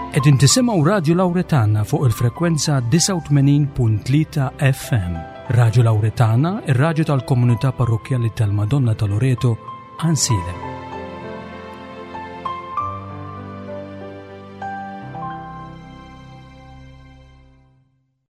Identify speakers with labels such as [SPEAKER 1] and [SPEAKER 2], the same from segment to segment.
[SPEAKER 1] Qegħdin tisimgħu Radju Lawretana fuq il-frekwenza 89.3 FM. Radju Lawretana, ir-radju tal-komunità parrokkjali tal-Madonna ta' Loreto, Ansilem.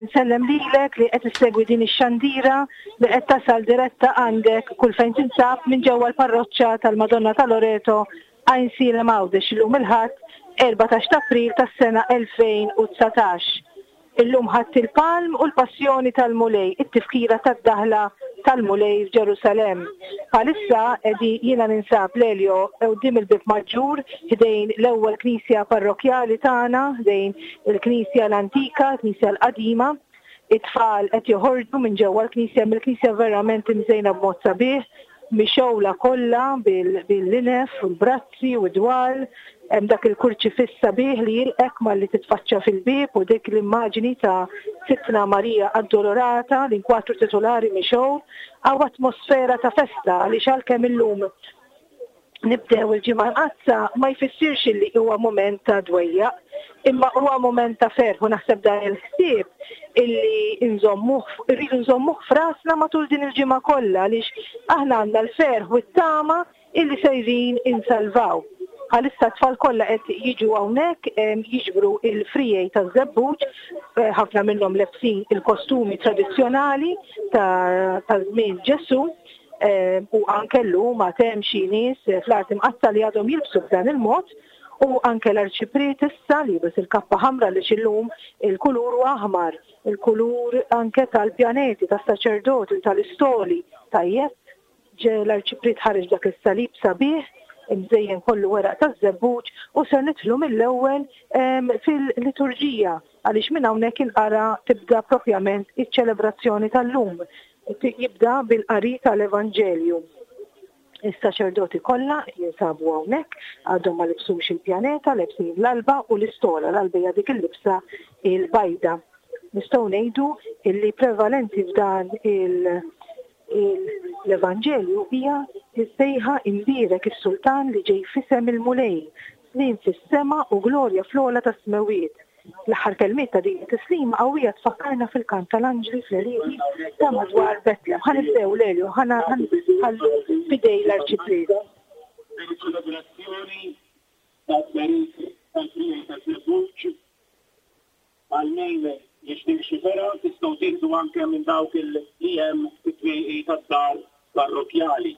[SPEAKER 2] Nsellem lilek li qed issegwi din ix-xandira li qed tasal diretta għandek kull fejn tinsab minn ġewwa l-parroċċa tal-Madonna ta' Loreto Għajnsielem Għawdex illum il-Ħadd 14 t'April tas-sena 2019. Illum Ħadd il-Palm u l-Passjoni tal-Mulej, it-tifkira tad-daħla tal-Mulej f'Ġerusalemm. Bħalissa qegħdi jiena ninsab l-Elio quddiem il-Bieb Maġġur ħdejn l-ewwel knisja parrokkjali tagħna, ħdejn il-knisja l-antika, il-knisja l-qadima. It-tfal qed joħorġu minn ġewwa l-knisja, il-knisja verament imżejna b'mod sabiħ, mixgħula kollha bil-linef u l-brazzi u d-dwal, hemm dak il-kurċifiss sabiħ li jilqek malli titfaċċa fil-bieb u dik l-immaġini ta' Sidtna Marija Addolorata, l-inkwatru titulari mixgħul, hawn atmosfera ta' festa għaliex għalkemm illum nibdew il-Ġimgħa Mqaddsa ma jfissirx illi huwa mument ta' dwejjaq, imma huwa mument ta' ferħ u naħseb dan il-ħsieb illi nżommuh, irridu nżommuh f'rasna matul din il-ġimgħa kollha għaliex aħna għandna l-ferħ u t-tama illi sejrin insalvaw. Bħalissa t-tfal kollha qed jiġu hawnhekk jiġbru il-frijej taż-żebbuġ, eh, ħafna minnhom lebsin il-kostumi tradizzjonali ta' żmien Ġesù. U anke llum għad hemm xi nies fl-Art Imqaddsa li għadhom jilbsu b'dan il-mod u anke l-Arċipriet issa li jilbes il-kappa ħamra għaliex illum il-kulur huwa aħmar, il-kulur anke tal-pjaneti, tas-saċerdoti u tal-istoli. Tajjeb, ġe l-Arċipriet ħareġ dak is-salib sabiħ imżejjen kollu weraq taż-żebbuġ u ser nidħlu mill-ewwel fil-liturġija għaliex minn hawnhekk inqara tibda propjament iċ-ċelebrazzjoni tal-lum. Jibda bil-qari tal-Evanġelju. Is-saċerdoti kollha jinsabu hawnhekk, għadhom ma libsux il-pjaneta, lebsin l-alba u l-istola, l-alba hija dik il-libsa il-bajda. Nistgħu ngħidu illi prevalenti f'dan l-Evanġelju hija s-sejħa imbierek is-Sultan li ġej f'isem il-Mulej, sliem fis-sema u glorja fl-ogħla tas-smewwiet. L-aħħar kelmiet ta' din it-tislima qawwija tfakkarna fil-kant tal-anġli fl-għelieqi ta' madwar Betlem. Ħa nibdew, Lelio, ħa nħallu f'idej l-Arċipriet.
[SPEAKER 3] Din iċ-ċelebrazzjoni tat-tberik tal-friegħi taż-żebbuġ għal min jixtieq xi fergħa tistgħu tieħdu anke minn dawk li hemm fit-twieqi tad-dar parrokkjali.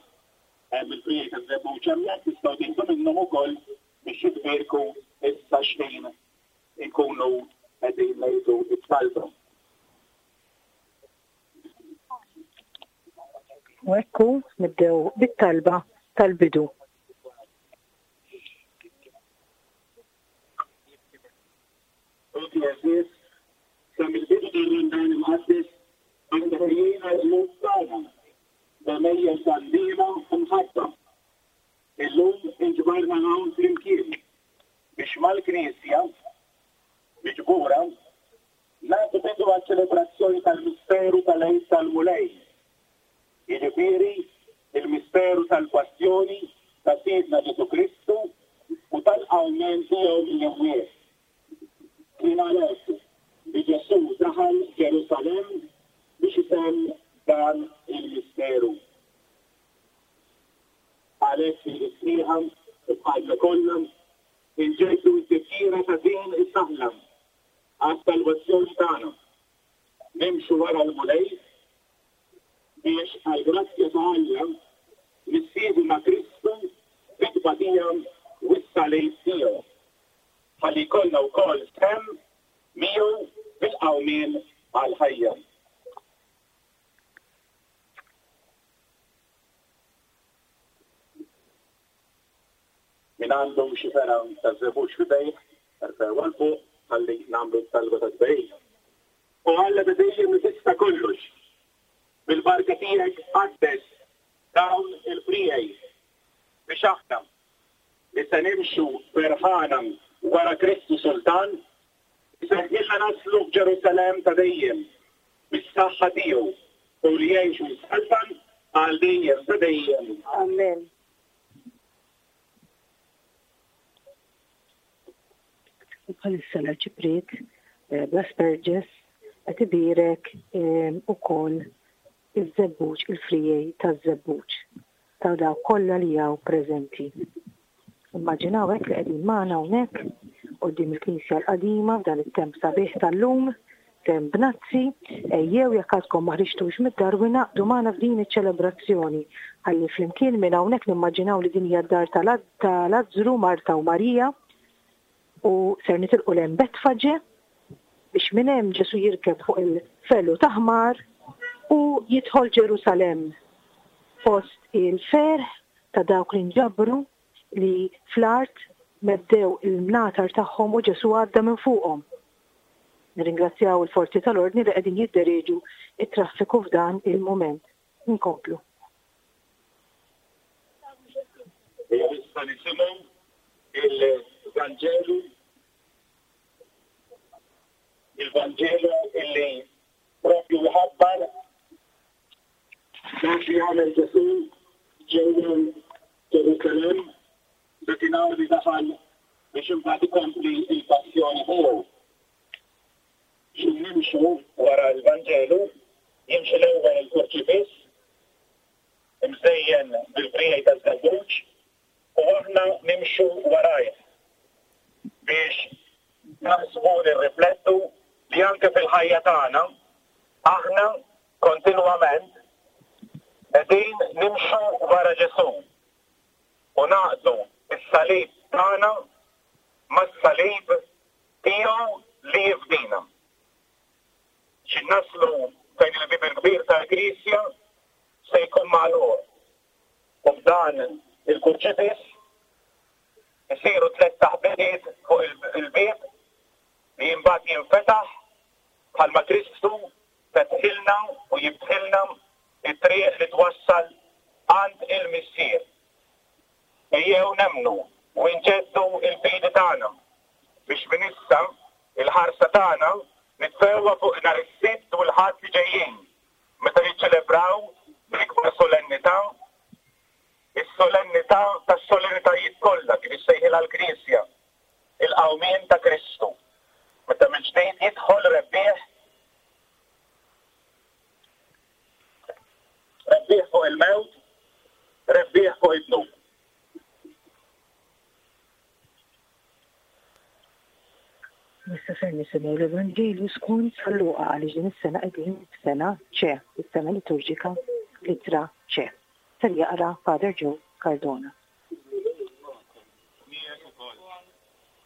[SPEAKER 3] Hemm il-friegħi taż-żebbuġ hemmhekk tistgħu tieħdu minnhom ukoll biex jitbierku issa x'ħin inkunu qegħdin ngħidu t-talba.
[SPEAKER 2] U hekk hu, nibdew bit-talba tal-bidu.
[SPEAKER 3] Ħuti għeżież, sa mill-bidu tar-Randan Imqaddes aħna ħejjejna l-qlub tagħna b'għemejjel ta' ndiema u mħabba. Illum inġbarna hawn flimkien biex mal-Knisja miġbura nagħtu bidu għaċ-ċelebrazzjoni tal-misteru tal-Għid tal-Mulej, jiġifieri l-misteru tal-Passjoni ta' Sidna Ġesù Kristu u tal-qawmien tiegħu mill-imwiet. Kien għalhekk li Ġesù daħal Ġerusalemm biex itemm dan il-misteru. Għalhekk f'idi sħiħa u b'qalbna kollha inġeddu t-tifkira ta' din id-daħla għas-salvazzjoni tagħna. Nimxu wara l-Mulej biex għall-grazzja ta' Alla nissieħbu ma' Kristu fit-tbatija u s-salib tiegħu, ħalli jkollna wkoll sehem miegħu fil-qawmien għall-ħajja. Min għandu xi fergħa ta' żebbuġ f'idejh, erfgħuha 'l fuq ħalli nagħmlu t-talba tat-tberik. O Alla ta' dejjem li tista' kollox, bil-barka tiegħek qaddes dawn il-friegħi biex aħna, li se nimxu ferħana wara Kristu Sultan, iseħħilna naslu f'Ġerusalemm ta' dejjem bis-saħħa tiegħu, hu li jgħix u jsaltan għal dejjem ta' dejjem.
[SPEAKER 2] Amen. U bħalissa l-Arċipriet eh, bl-asperges qed ibierek eh, ukoll iż-żebbuġ, il-frijej taż-żebbuġ ta' dawk kollha li hawn preżenti. Immaġinaw hekk li qegħdin magħna hawnhekk quddiem il-Knisja l-qadima f'dan it-temp sabiħ tal-lum, temp bnazzi, ejjew jekk għadkom ma ħriġtux mid-dar u ingħaqdu magħna f'din iċ-ċelebrazzjoni ħalli flimkien minn hawnhekk nimmaġinaw li din hija d-dar ta' Lazzru, Marta u Marija u ser nitilqu 'l hemm Betfaġe biex minn hemm Ġesù jirkeb fuq il-felu ta' ħmar u jidħol Ġerusalemm fost il-ferħ ta' dawk li nġabru li fl-art meddew il-mnatar tagħhom u Ġesù għadda minn fuqhom. Nirringrazzjaw il-forzi tal-ordni li qegħdin jidderieġu t-traffiku f'dan il-mument. Inkomplu.
[SPEAKER 3] Ejja issa nisimgħu il-Vanġelu il-Vanġelu illi propju jħabbar Dak li għamel Ġesù ġewwa Ġerusalemm dakinhar li daħal biex imbagħad ikompli l-passjoni tiegħu. Xi nimxu wara l-Vanġelu, jimxi l-ewwel il-kurċifiss, imżejjen bil-friegħi taż-żebbuġ, u aħna nimxu warajh biex naħsbu, nirriflettu li anke fil-ħajja tagħna aħna Kontinwament qegħdin nimxu wara Ġesù u ngħaqqdu s-salib tagħna mas-salib tiegħu li jifdina. Xi naslu fejn il-bieb il-kbir tal-Knisja se jkun magħluq u b'dan il-kurċifiss isiru tlett taħbitiet fuq il-bieb li imbagħad jinfetaħ bħalma Kristu fetħilna u jiftħilna t-triq li twassal għand il-Missier. Ejjew nemmnu u nġeddu l-fidi tagħna biex minn issa l-ħarsa tagħna nitfgħuha fuq nhar is-Sibt u l-Ħadd li ġejjin meta niċċelebraw bl-ikbar solennità is-solennità tas-solennitajiet kollha kif issejħilha l-Knisja, il-qawmien ta' Kristu, meta mill-ġdid jidħol rebbieħ rebbieħ fuq il-mewt, rebbieħ fuq id-dnub.
[SPEAKER 2] Issa ser nisimgħu l-Evanġelju skont San Luqa għaliex din is-sena qegħdin f'sena C, is-sena liturġika l-ittra C. Ser jaqra Father Joe Cardona.
[SPEAKER 3] Miegħek ukoll.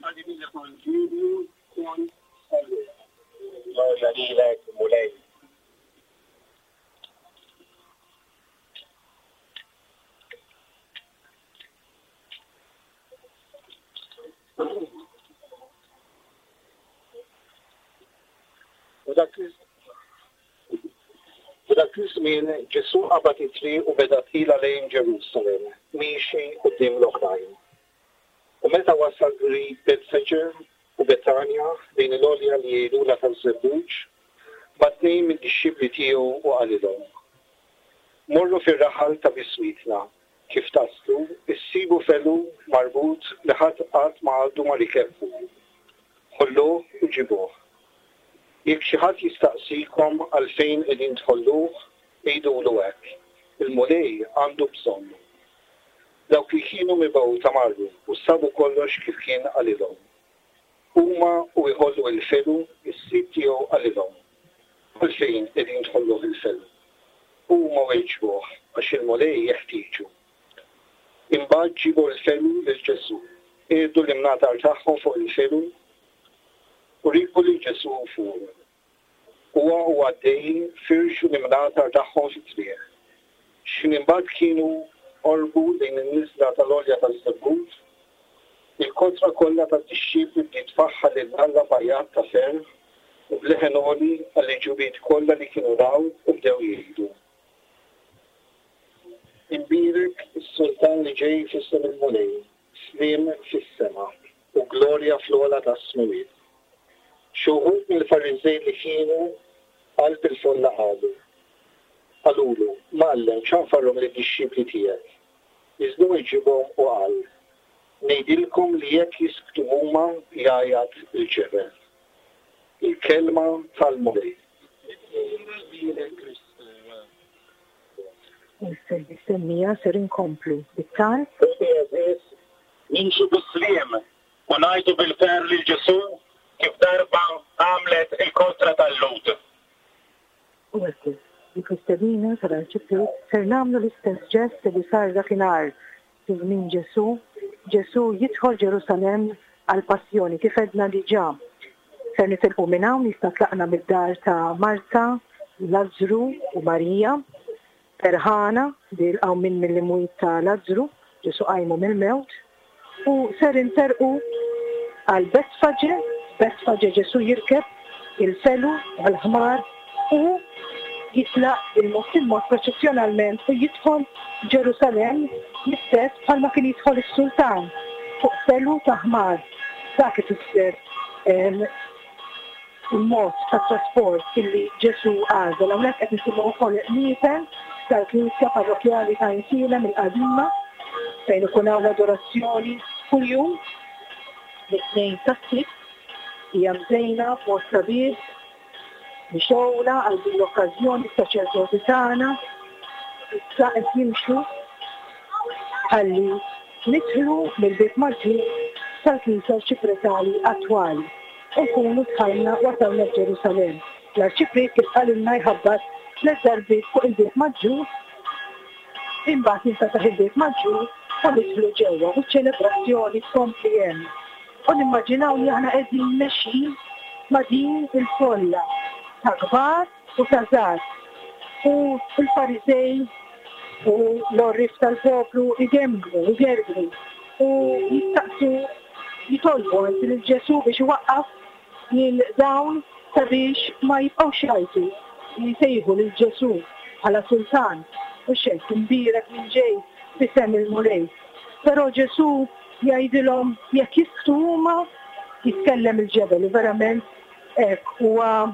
[SPEAKER 3] Qari mill-Evanġelju skont San Luqa. Glorja lilek, Mulej.
[SPEAKER 4] U dak F'dak iż-żmien Ġesù qabad it-triq u beda tqila lejn Ġerusalemm, miexi quddiem l-oħrajn. U meta wasal qrib Betfeġe u Betanja, ħdejn il-għolja li jgħidulha taż-Żebbuġ, bagħat tnejn mid-dixxipli tiegħu u qalilhom, Morru fir-raħal ta' biswitna, kif taslu, issibu felu marbut li ħadd qatt ma għadu ma rikeb fuqu. Ħolluh u ġibuh. Jekk xi ħadd jistaqsikom għalfejn qegħdin tħolluh, għidulu hekk, 'Il-Mulej għandu bżonnu. Dawk li kienu mibgħuta marru u sabu kollox kif kien qalilhom. Huma u jħollu il-felu, is-sid tiegħu qalilhom, Għalfejn qegħdin tħolluh il-felu? U huma weġbuh, Għax il-Mulej jeħtieġu. Imbagħad ġiebu l-felu lil Ġesù, qiegħdu l-imnatar tagħhom fuq il-felu, u rikbu lil Ġesù fuqu. Huwa u għaddej firxu l-imnatar tagħhom fit-triq. X'ħin imbagħad kienu qorbu lejn in-niżla tal-Għolja taż-Żebbuġ, il-kotra kollha tad-dixxipli bdiet tfaħħar lil Alla b'għajat ta' ferħ u b'leħen għoli għall-għeġubiet kollha li kienu raw u bdew jgħidu, Imbierek is-Sultan li ġej f'isem il-Mulej, sliem fis-sema u glorja fl-ogħla tas-smewwiet. Xi wħud mill-Fariżej li kienu qalb il-folla qalu, Qalulu, Mgħallem, ċanfarhom lid-dixxipli tiegħek. Iżda hu weġibhom u qal, Ngħidilkom li jekk jisktu huma jgħajjat il-ġebel. Il-Kelma tal-Mulej.
[SPEAKER 5] Lilek Kristu.
[SPEAKER 2] U issa ser inkomplu bit-talb.
[SPEAKER 3] Ħuti għeżież, nimxu bis-sliem u ngħidu bil-ferħ lil Ġesù kif darba għamlet il-kotra tal-Lhud.
[SPEAKER 2] U hekk kif, dik l-istedina tal-Arċipriet, ser nagħmlu l-istess ġest li sar dakinhar fi żmien Ġesù, Ġesù jidħol Ġerusalemm għall-Passjoni, kif għedna diġà. Ser nitilqu minn hawn, jista' tlaqna mid-dar ta' Marta, Lazzru u Marija, ferħana li l-qawmien mill-imwiet ta' Lazzru, Ġesù qajmu mill-mewt, u ser interqu għal Betfaġe, f'Betfaġe Ġesù jirkeb il-felu għall-ħmar u jitlaq bil-mod il-mod proċessjonalment u jidħol Ġerusalemm l-istess bħalma kien jidħol is-sultan fuq felu ta' ħmar. Dak ifisser il-mod ta' trasport illi Ġesù għażel. Hawnhekk qed nisimgħu wkoll il-qniepen tal-Knisja Parrokkjali ta' Għajnsielem il-qadima fejn ikun hawn l-adorazzjoni kuljum mit-Tnejn sas-Sibt. Hija mżejna b'mod sabiħ, mixgħula għal din l-okkażjoni s-saċerdoti tagħna issa qed jimxu ħalli Nidħlu mill-bieb maġġur tal-knisja arċipretali attwali u nkunu dħalna wasalna f'Ġerusalemm. L-Arċipriet kif qalilna jħabbat tlett darbiet fuq il-bieb maġġur, imbagħad jinfetaħ il-bieb maġġur u nidħlu ġewwa u ċ-ċelebrazzjoni tkompli hemm. U nimmaġinaw li aħna qegħdin mexjin ma' din il-folla ta' kbar u ta' żgħar. U l-Fariżej u l-għorrief tal-poplu jgemgmu, jgergru u jistaqsu, jitolbu anzi lil Ġesù biex iwaqqaf lil dawn sabiex ma jibqgħux jgħajtu u jsejħu lil Ġesù bħala sultan, mhux hekk, imbierek min ġej f'isem il-Mulej. Però Ġesù jgħidilhom jekk jisktu huma, jitkellem il-ġebel u verament Hekk huwa,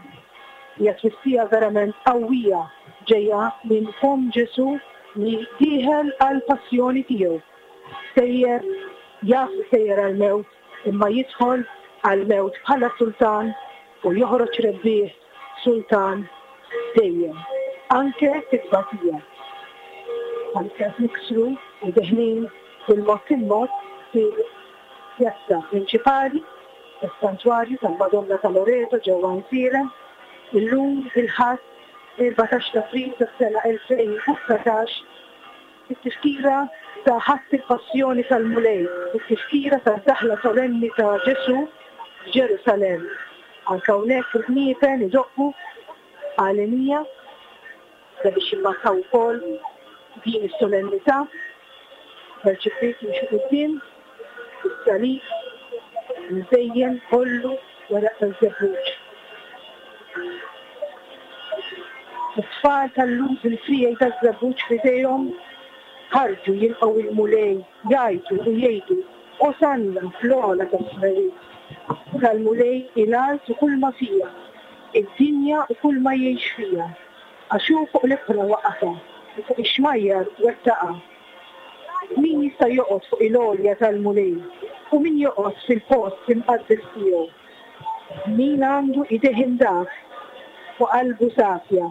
[SPEAKER 2] hija twissija verament qawwija ġejja minn fomm Ġesù li dieħel għall-passjoni tiegħu. Sejjer, jaf li sejjer għall-mewt, imma jidħol għall-mewt bħala sultan u joħroġ rebbieħ sultan dejjem, anke fit-tbatija. Bħalissa qed niksru u deħlin bil-mod il-mod fil-pjazza prinċipali tas-Santwarju tal-Madonna ta' Loreto ġewwa Għajnsielem, illum il-Ħadd 14 t'April tas-sena 2019, it-tifkira ta' Ħadd il-Passjoni tal-Mulej, it-tifkira tad-daħla solenni ta' Ġesù f'Ġerusalemm. Anke hawnhekk il-qniepen idoqqu għalenija. Sabiex jimmarkaw ukoll din is-solennità, l-Arċipriet jimxi quddiem bis-salib imżejjen kollu weraq taż-żebbuġ. It-tfal tal-Lhud bil-friegħi taż-żebbuġ f'idejhom ħarġu jilqgħu il-Mulej, jgħajtu u jgħidu, Osanna fl-ogħla tas-smewwiet! Tal-Mulej hi l-art u kulma fiha, id-dinja u kulma jgħix fiha. Għax hu fuq l-ibħra waqqafha, u fuq ix-xmajjar wettaqha. Min jista' joqgħod fuq il-għolja tal-Mulej, u min joqgħod fil-post imqaddes tiegħu? Min għandu idejh indaf u qalbu safja,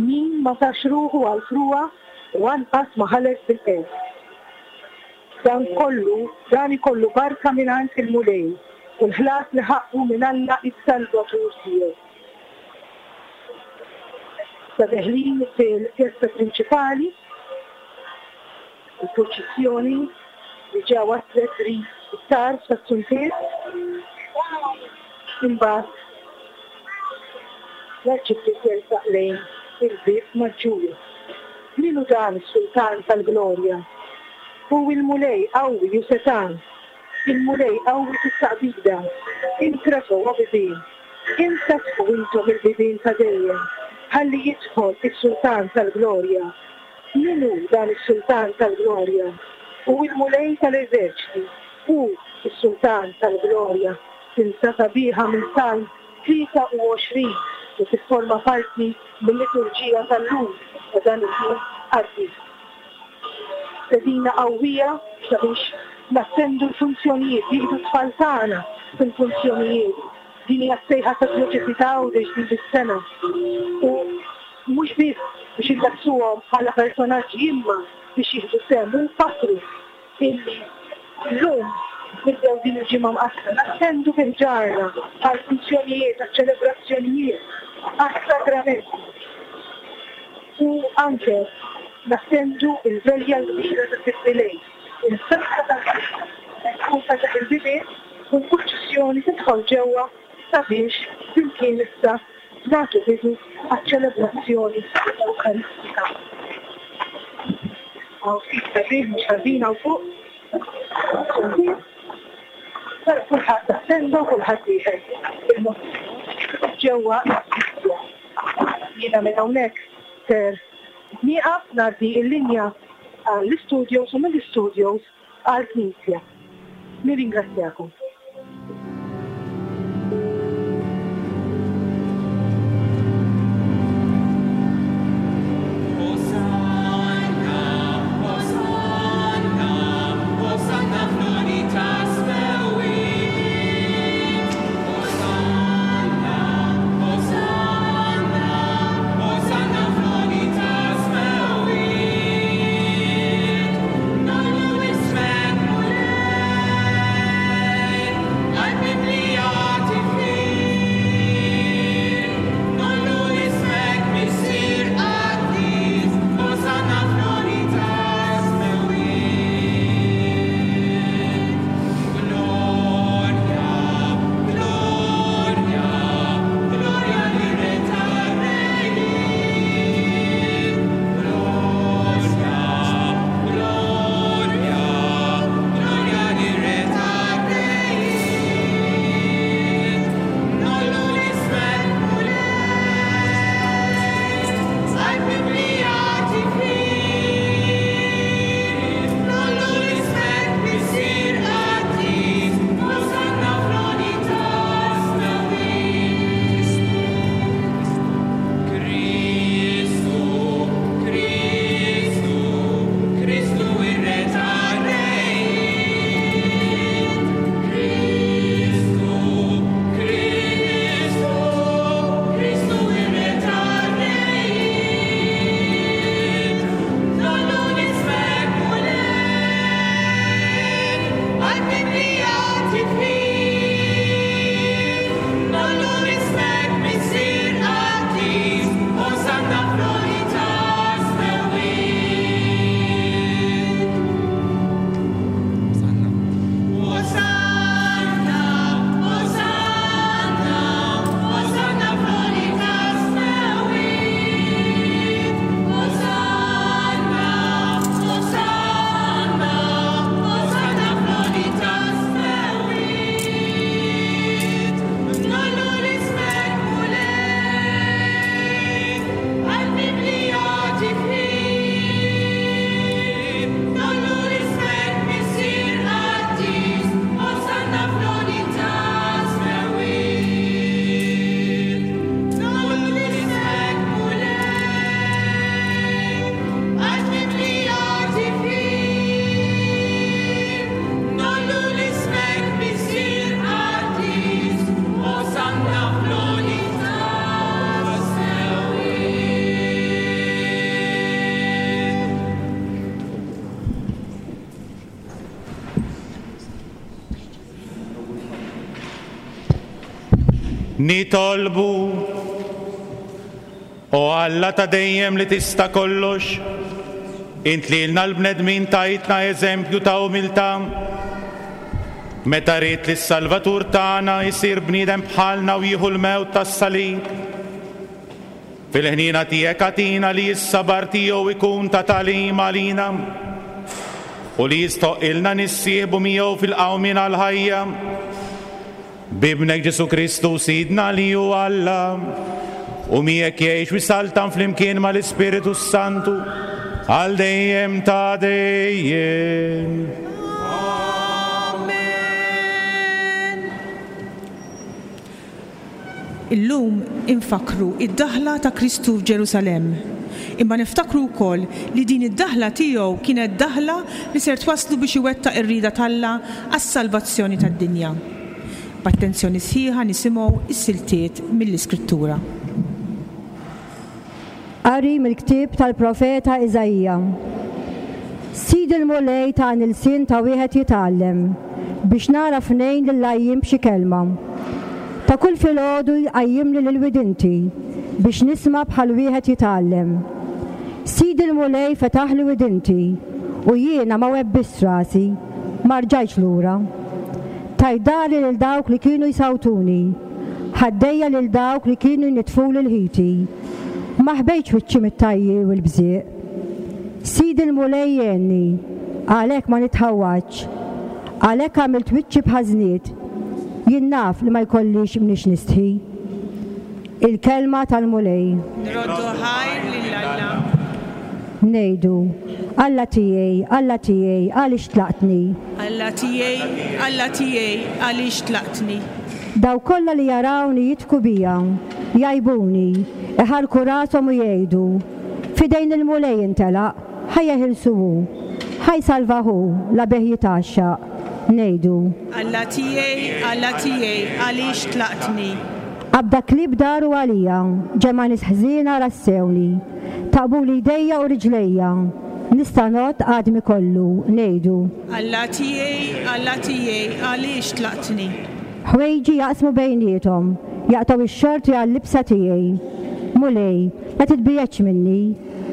[SPEAKER 2] min ma tax ruħu għall-frugħa u anqas ma ħalef bil-qerq. Dan kollu, dan ikollu barka mingħand il-Mulej, u l-ħlas li ħaqqu minn Alla s-Salvatur tiegħu. Issa deħlin fil-pjazza prinċipali, il-purċissjoni diġà waslet qrib it-tarf tas-suntier. Imbagħad l-Arċipriet jersaq lejn il-bieb maġġur. Min hu dan is-Sultan tal-glorja? Hu l-Mulej qawwi u setgħan, il-Mulej qawwi fit-taqbida. Intrefgħu, o bibien! Infetħu intom il-bibien ta' dejjem, ħalli jidħol is-Sultan tal-glorja. Min hu dan is-Sultan tal-glorja? Hu l-Mulej tal-eżerċti, hu s-Sultan tal-glorja. Silta sabiħa minn Salm 23 li tifforma parti mil-liturġija tal-lum ta' dan il-jum qaddis. Stedina qawwija sabiex nattendu l-funzjonijiet, nieħdu t-tfal tagħna fil-funzjonijiet. Din hija s-sejħa tad-Djoċesi ta' Għawdex din is-sena. U mhux biss biex inlebsuhom bħala personaġġi imma biex jieħdu sehem u nfakkru illi llum nibdew din il-Ġimgħa Mqaddsa nattendu bi ħġarna għall-funzjonijiet, għaċ-ċelebrazzjonijiet, għas-sagramenti u anke nattendu l-Velja l-Kbira ta' Sibt il-Għid, il-festa tal-Knisja, tkun fetaħ il-bibien u l-purċissjoni tidħol ġewwa sabiex flimkien issa nagħtu bidu għaċ-ċelebrazzjoni Ewkaristika. Hawn ftit tar-riħ mhux ħażin hawn fuq. Però kulħadd attenda u kulħadd dieħel bil-mod ġewwa l-knisja. Jiena minn hawnhekk ser nieqaf ngħaddi l-linja għall-istudios u mill-istudios għall-Knisja. Nirringrazzjakom.
[SPEAKER 6] Nitolbu, O Alla ta' dejjem li tista' kollox, int lilna l-bnedmin tajtna eżempju ta' umiltà. Meta ridt li s-Salvatur tagħna jsir bniedem bħalna u jieħu l-mewt tas-salib. Fil-ħniena tiegħek agħtina li s-sabar tiegħu jkun ta' tagħlim għalina u li jistħoqqilna nissieħbu miegħu fil-qawmien għall-ħajja. B'Ibnek Ġesù Kristu Sidna li hu Alla u miegħek jgħix u jsaltan flimkien mal-Ispiritu s-Santu għal dejjem ta' dejjem.
[SPEAKER 7] Amen. Illum infakkru d-daħla ta' Kristu f'Ġerusalemm. Imma niftakru wkoll li din id-daħla tiegħu kienet daħla li ser twasslu biex iwettaq ir-rieda t'Alla għas-salvazzjoni tad-dinja. B'attenzjoni sħiħa nisimgħu s-siltiet mill-Iskrittura.
[SPEAKER 8] Qari mill-ktieb tal-profeta Iżaija. Sid il-Mulej tani lsien ta' wieħed jitgħallem, biex nagħraf ngħin lill-għajjien b'xi kelma. Ta' kull filgħodu jqajjimli lil widinti, biex nisma' bħal wieħed jitgħallem. Sidi l-Mulej fetaħli widinti, u jiena ma webbistx rasi, ma rġajtx lura. Tajt dahri lil dawk li kienu jsawtuni, ħaddejja lil dawk li kienu jnittfuli l-ħiti. Ma ħbejtx wiċċi mit-tgħajjir u l-bżieq. Sidi l-Mulej jgħinni, għalhekk ma nitħawwadx. Għalhekk għamilt wiċċi bħaż-żnied. Jien naf li ma jkollix mniex nistħi. Il-Kelma tal-Mulej.
[SPEAKER 7] Nroddu ħajr lil Alla.
[SPEAKER 8] Ngħidu, Alla tiegħi, Alla tiegħi, għaliex tlaqtni?
[SPEAKER 7] Alla tiegħi, Alla tiegħi, għaliex tlaqtni?
[SPEAKER 8] Dawk kollha li jarawni jidħku bija, jgħajbuni, iħarrku rashom u jgħidu, F'idejn il-Mulej intelaq, ħa jeħilsu hu, ħa jsalvah hu, la bih jitgħaxxaq. Ngħidu.
[SPEAKER 7] Alla tiegħi, Alla tiegħi, għaliex tlaqtni?
[SPEAKER 8] Qabda klieb daru għalija, ġemgħa nies ħżiena rassewni. Taqbuli jdejja u riġlejja, nista' ngħodd għadmi kollu. Ngħidu.
[SPEAKER 7] Alla tiegħi, Alla tiegħi, għaliex tlaqtni?
[SPEAKER 8] Ħwejġi jaqsmu bejniethom, jaqtgħu x-xorti għal-libsa tiegħi. Mulej, la titbiegħedx minni,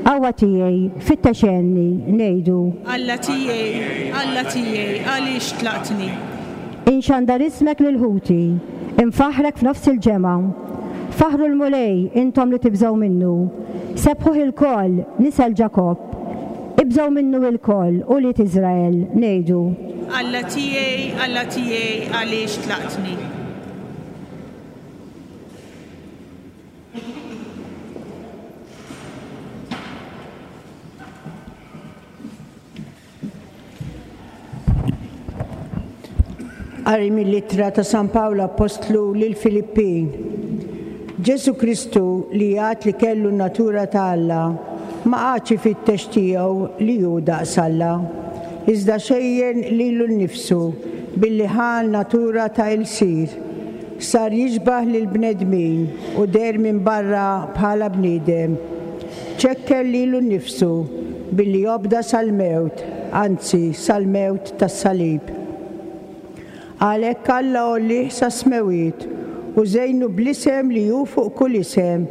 [SPEAKER 8] qawwa tiegħi, fittex għenni, ngħidu.
[SPEAKER 7] Alla tiegħi, Alla tiegħi, għaliex tlaqtni?
[SPEAKER 8] Inxandar ismek lil ħuti, infaħħrek f'nofs il-ġemgħa. Faħħru l-Mulej, intom li tibżgħu minnu, sebbħuh ilkoll, nisel Ġakobb. Ibżgħu minnu ilkoll, ulied Iżrael, ngħidu.
[SPEAKER 7] Alla tiegħi, Alla tiegħi, għaliex tlaqtni?
[SPEAKER 9] Qari mill-Ittra ta' San Pawl Appostlu lill-Filippin. Ġesù Kristu li jgħad li kellu n-natura ta' Alla, ma qagħadx ifittex tiegħu li hu daqs Alla, iżda xejjen lilu nnifsu billi ħa n-natura ta' ilsir, sar jixbah lill-bnedmin u deher minn barra bħala bniedem. Ċekken lilu nnifsu billi obda sal-mewt, anzi sal-mewt tas-salib. Għalhekk Alla għollieh sas-smewwiet u żejnu bl-isem li hu fuq kull isem,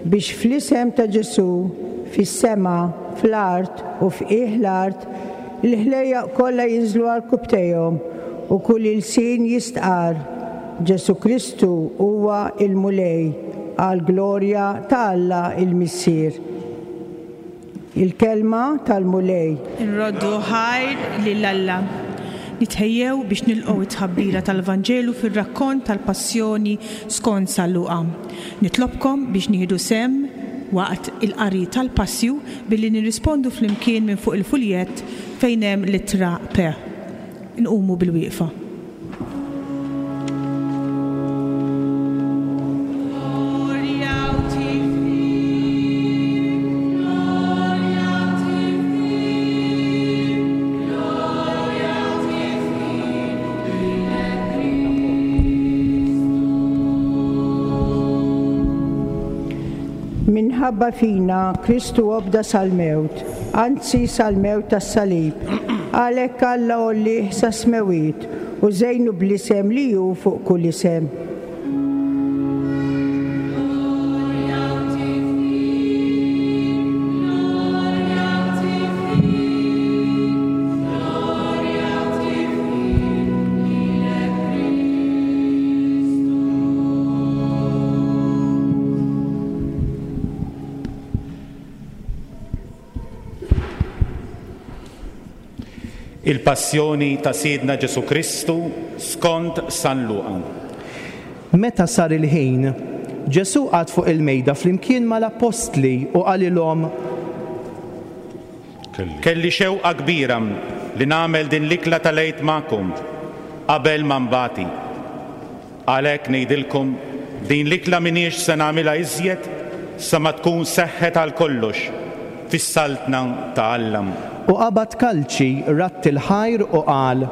[SPEAKER 9] biex fl-isem ta' Ġesù, fis-sema, fl-art u f'qiegħ l-art, il-ħlejjaq kollha jinżlu għarkupptejhom u kull ilsien jistqarr, Ġesù Kristu huwa l-Mulej, għall-glorja ta' Alla l-Missier. Il-Kelma tal-Mulej.
[SPEAKER 7] Inroddu ħajr lil Alla. Nitħejjew biex nilqgħu t-tħabbira tal-Vanġelu fir-rakkont tal-Passjoni skont San Luqa. Nitlobkom biex nieħdu sehem waqt il-qari tal-Passju billi nirrispondu flimkien minn fuq il-fuljett fejn hemm l-ittra P. Nqumu bilwieqfa.
[SPEAKER 9] Minħabba fina Kristu obda sal-mewt, anzi sal-mewt tas-salib. Għalhekk Alla għollieh sas-smewwiet u żejnu bl-isem li hu fuq kull isem.
[SPEAKER 6] Il-Passjoni ta' Sidna Ġesù Kristu skont San Luqa.
[SPEAKER 10] Meta sar il-ħin, Ġesù qagħad fuq il-mejda flimkien mal-appostli u qalilhom.
[SPEAKER 6] Kelli xewqa kbira li nagħmel din l-ikla tal-Għid magħkom qabel ma nbati. Għalhekk ngħidilkom, din l-ikla m'iniex se nagħmilha iżjed. sa ma tkun seħħet għal kollox fis-Saltna ta' Alla.
[SPEAKER 10] U qabad kalċi, radd il-ħajr u qal.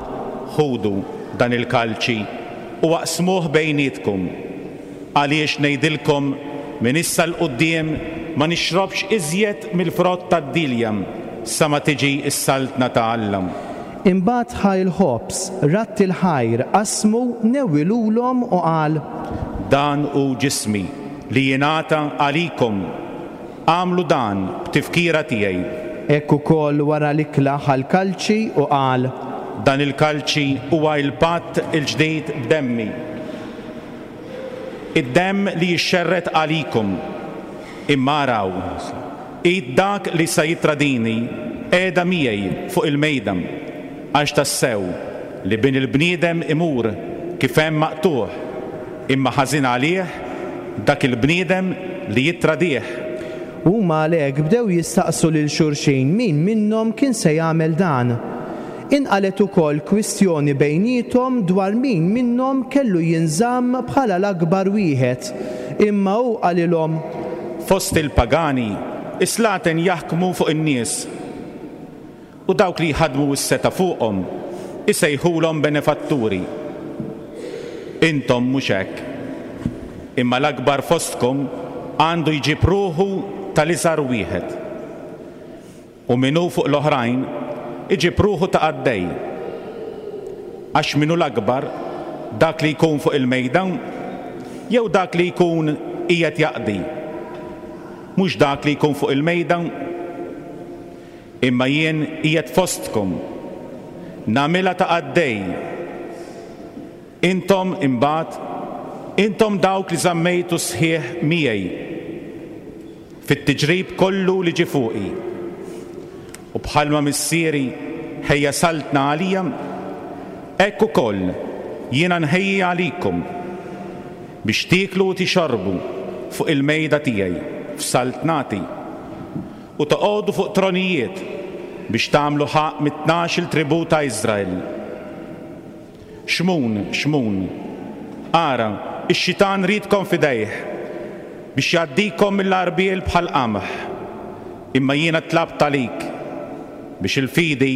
[SPEAKER 6] Ħudu dan il-kalċi u aqsmuh bejnietkom, għaliex ngħidilkom, minn issa 'l quddiem ma nixrobx iżjed mill-frott tad-dielja sa ma tiġi s-Saltna ta' Alla.
[SPEAKER 10] Imbagħad ħa l-ħobż, radd il-ħajr, qasmu, newwilulhom u qal.
[SPEAKER 6] Dan hu ġismi, li jingħata għalikom. Agħmlu dan b'tifkira tiegħi.
[SPEAKER 10] Hekk ukoll wara l-ikla ħa l-kalċi u qal.
[SPEAKER 6] Dan il-kalċi huwa l-patt il-ġdid b'demmi, id-demm li jixxerred għalikum. Imma araw, id dak li sa jittradini qiegħda miegħi fuq il-mejda, għax tassew li Bin il-bniedem imur kif hemm maqtugħ, Imma ħażin għalih dak il-bniedem li jittradih.
[SPEAKER 10] Huma għalhekk bdew jistaqsu lil xulxin min minnhom kien se jagħmel dan. Inqalgħet ukoll kwistjoni bejniethom dwar min minnhom kellu jinżamm bħala l-akbar wieħed. Imma hu qalilhom.
[SPEAKER 6] Fost il-pagani, is-slaten jaħkmu fuq in-nies. U dawk li jħaddmu s-setgħa fuqhom isejħulhom benefatturi. Intom mhux hekk. Imma l-akbar fostkom għandu jġib ruħu tal-iżgħar wieħed. U min hu fuq l-oħrajn iġib ruħu ta' qaddej. Għax min hu l-akbar, dak li jkun fuq il-mejda jew dak li jkun qiegħed jaqdi? Mhux dak li jkun fuq il-mejda? Imma jien qiegħed fostkom, nagħmilha ta' qaddej. Intom, imbagħad, intom dawk li żammejtu sħiħ miegħi fit-tiġrib kollu li ġie fuqi. U bħalma Missieri ħejja saltna għalija, hekk ukoll jiena nħejji għalikom biex tieklu u tixorbu fuq il-mejda tiegħi f'saltnati. U toqogħdu fuq tronijiet biex tagħmlu ħaqq mit-tnax-il tribù ta' Iżrael. Xmun, Xmun, ara, ix-xitan riedkom f'idejh, biex jgħaddikom mill-għarbiel bħall-qamħ, imma jiena tlabt għalik, biex il-fidi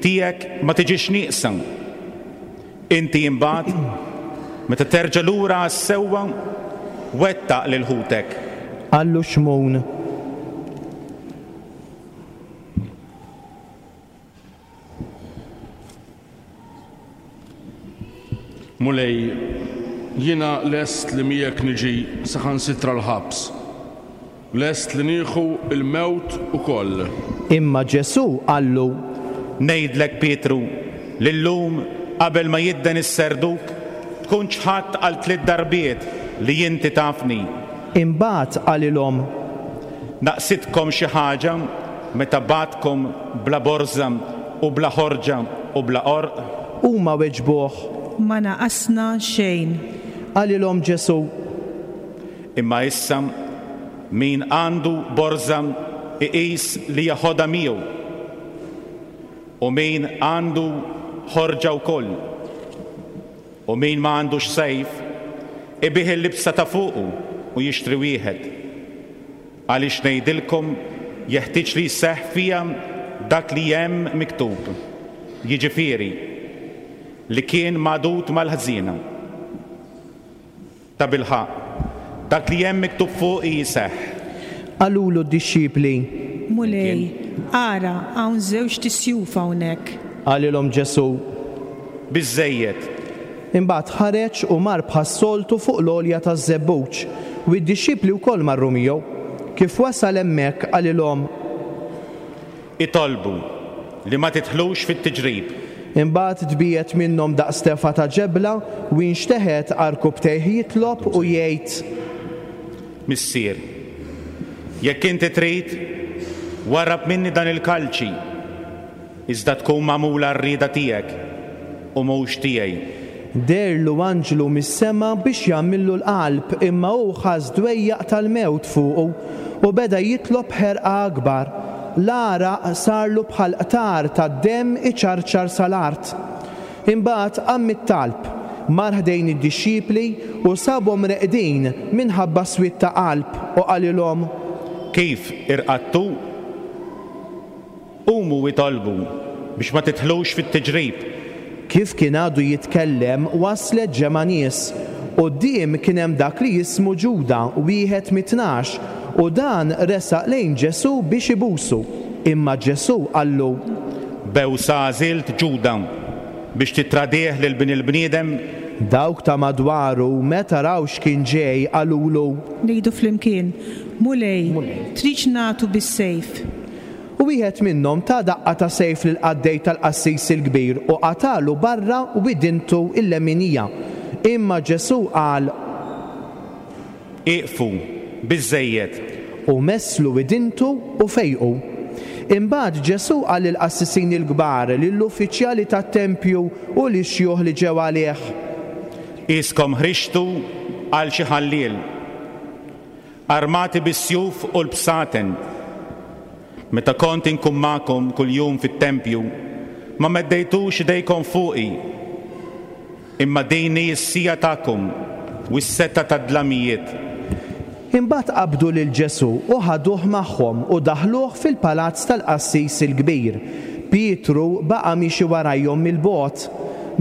[SPEAKER 6] tiegħek ma tiġix nieqsa. Inti imbagħad, meta terġa' lura għas-sewwa, wettaq lil ħutek.
[SPEAKER 10] Qallu Xmun.
[SPEAKER 11] Mulej, jiena lest li miegħek niġi saħansitra l-ħabs. Lest li nieħu l-mewt ukoll.
[SPEAKER 10] Imma Ġesù qallu.
[SPEAKER 6] Ngħidlek, Pietru, li llum, qabel ma jidden is-serduk, tkun ċħadt għal tliet darbiet li inti tafni.
[SPEAKER 10] Imbagħad qalilhom.
[SPEAKER 6] Naqsitkom xi ħaġa meta bgħattkom bla borża u bla ħorġa u bla għorq?
[SPEAKER 10] Huma weġbuh.
[SPEAKER 7] Ma naqasna xejn.
[SPEAKER 10] Qalilhom Ġesù.
[SPEAKER 6] Imma issa, min għandu borża iqis li jeħodha miegħu, u min għandu ħorġa wkoll. U min ma għandux sejf, ibigħ il-libsa ta' fuqu u jixtri wieħed. Għaliex ngħidilkom, jeħtieġ li jseħħ fija dak li hemm miktub, jiġifieri, li kien magħdud mal-ħżiena. Tabilħaqq, dak li hemm miktub fuqi jseħħ.
[SPEAKER 10] Qalulu d-dixxipli.
[SPEAKER 7] Mulej, ara, hawn żewġt isjuf hawnhekk.
[SPEAKER 10] Qalilhom Ġesù.
[SPEAKER 6] Biżżejjed.
[SPEAKER 10] Imbagħad ħareġ u mar bħas-soltu fuq l-għolja taż-Żebbuġ, u d-dixxipli wkoll marru miegħu. Kif wasal hemmhekk, qalilhom.
[SPEAKER 6] Itolbu li ma tidħlux fit-tiġrib.
[SPEAKER 10] Imbagħad tbiegħed minnhom daqs tefgħa ta' ġebla, u inxteħet għarkupptejh jitlob u jgħid.
[SPEAKER 6] Missier, jekk inti trid, warrab minni dan il-kalċi, iżda tkun magħmula r-rieda tiegħek u mhux tiegħi.
[SPEAKER 10] Deherlu anġlu mis-sema biex jagħmillu l-qalb, imma hu ħass dwejjaq tal-mewt fuqu u beda jitlob b'ħerqa akbar. L-għaraq sarlu bħal qtar tad-demm iċarċar sal-art. Imbagħad qam mit-talb, mar ħdejn id-dixxipli u sabhom reqdin minħabba swied ta' qalb, u qalilhom.
[SPEAKER 6] Kif irqadtu? Qumu u itolbu, biex ma tidħlux fit-tiġrib.
[SPEAKER 10] Kif kien għadu jitkellem, waslet ġemgħa nies. Quddiem kien hemm dak li jismu Ġuda, wieħed mit-tnax, u dan resaq lejn Ġesù biex ibusu. Imma Ġesù qallu.
[SPEAKER 6] Bewsa għażilt Ġuda, biex tittradih lil Bin il-bniedem?
[SPEAKER 10] Dawk ta' madwaru, meta raw x'kien ġej, qalulu.
[SPEAKER 7] Ngħidu flimkien, Mulej, tridx nagħtu bis-sejf?
[SPEAKER 10] U wieħed minnhom ta' daqqa ta' sejf lill-qaddej tal-qassis il-kbir u qatagħlu barra widintu l-leminija. Imma Ġesù qal.
[SPEAKER 6] Ieqfu, biżżejjed!
[SPEAKER 10] U messlu widintu u fejqu. Imbagħad Ġesù qal lill-qassisin il-kbar, lill-uffiċjali tat-tempju u lix-xjuħ li ġew għalih.
[SPEAKER 6] Qiskom ħriġtu għal xi ħalliel. Armati bis-sjuf u l-bsaten. Meta kont inkun magħkom kuljum fit-tempju, ma meddejtux idejkom fuqi. Imma din hi s-siegħa tagħkom u s-setgħa tad-dlamijiet.
[SPEAKER 10] Imbagħad qabdu lil Ġesù u ħaduh magħhom u daħħluh fil-palazz tal-qassis il-kbir. Pietru baqa' miexi warajhom mill-bogħod.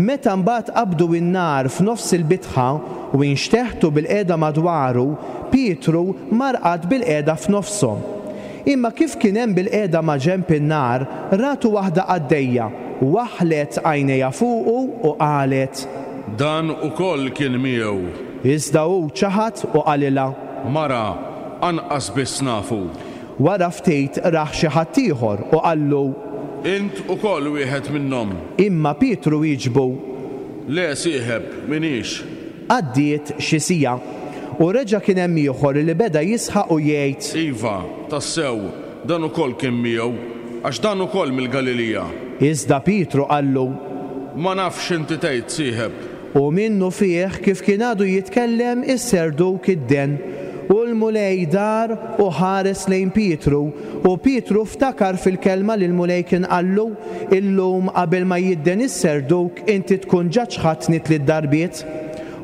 [SPEAKER 10] Meta mbagħad qabdu n-nar f'nofs il-bitħa u inxteħtu bilqiegħda madwaru, Pietru mar qagħad bilqiegħda f'nofshom. Imma kif kien hemm bilqiegħda maġenb in-nar, ratu waħda qaddejja, waħħlet għajnejha fuqu u qalet.
[SPEAKER 11] Dan ukoll kien miegħu.
[SPEAKER 10] Iżda hu ċaħad u qalilha.
[SPEAKER 11] Mara, anqas biss nafu.
[SPEAKER 10] Wara ftit rah xi ħadd ieħor u qallu.
[SPEAKER 11] Int ukoll wieħed minnhom.
[SPEAKER 10] Imma Pietru wieġbu.
[SPEAKER 11] Le, sieħeb, m'iniex.
[SPEAKER 10] Għaddiet xi siegħa, u reġa' kien hemm ieħor li beda jisħaq u jgħid.
[SPEAKER 11] Iva, tassew, dan ukoll kien miegħu, għax dan ukoll mill-Galilija.
[SPEAKER 10] Iżda Pietru qallu.
[SPEAKER 11] Ma nafx x'inti tgħid, sieħeb.
[SPEAKER 10] U minnufih, kif kien għadu jitkellem, is-serduk idden. U l-Mulej dar u ħares lejn Pietru, u Pietru ftakar fil-kelma li l-Mulej kien qallu, Illum qabel ma jidden is-serduk inti tkun ġa ċħadtni tliet darbiet.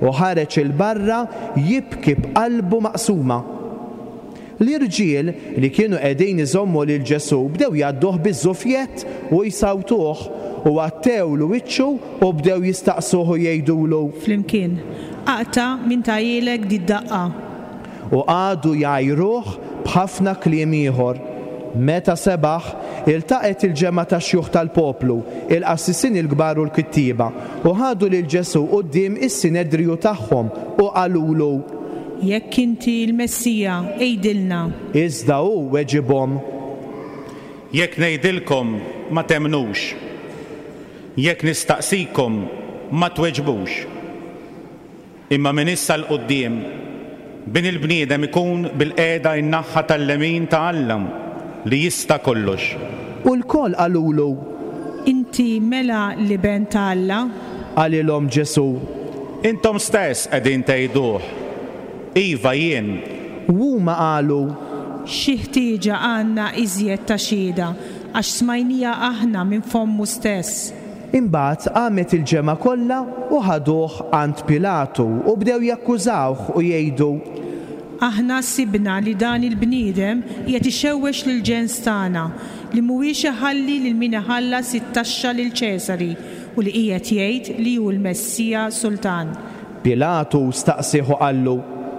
[SPEAKER 10] U ħareġ 'il barra jibki b'qalbu maqsuma. L-irġiel li kienu qegħdin iżommu lil Ġesù bdew jgħadduh biż-żufjett u jsawtuh, u għattewlu wiċċu u bdew jistaqsuh u jgħidulu.
[SPEAKER 7] Flimkien, Aqta' min tahielek did-daqqa?
[SPEAKER 10] U qagħdu jgħajruh b'ħafna kliem ieħor. Meta sebaħ, iltaqgħet il-ġemgħa tax-xjuħ tal-poplu, il-qassisin il-kbar u l-kittieba, u ħadu lil Ġesù quddiem is-Sinedriju tagħhom u qalulu.
[SPEAKER 7] Jekk inti l-Messija, għidilna.
[SPEAKER 10] Iżda hu weġibhom.
[SPEAKER 6] Jekk ngħidilkom, ma temmnux. Jekk nistaqsikom, ma tweġbux. Imma minn issa 'l quddiem, Bin il-bniedem ikun bilqiegħda in-naħha tal-lemin ta' Alla li jista' kollox.
[SPEAKER 10] U lkoll qalulu.
[SPEAKER 7] Inti mela l-Iben ta' Alla?
[SPEAKER 10] Qalilhom Ġesù.
[SPEAKER 6] Intom stess qegħdin tgħiduh. Iva, jien.
[SPEAKER 10] U huma qalu.
[SPEAKER 7] Xi ħtieġa għandna iżjed ta' xhieda, għax smajnieha aħna minn fommu stess?
[SPEAKER 10] Imbagħad qamet il-ġemgħa kollha u ħaduh għand Pilatu u bdew jakkużawh u jgħidu.
[SPEAKER 7] Aħna sibna li dan il-bniedem qiegħed ixewwex lill-ġens tagħna, li mhuwiex iħalli lil min iħallas it-taxxa lil Ċesari u li qiegħed jgħid li hu l-Messija Sultan.
[SPEAKER 10] Pilatu staqsieh u qallu.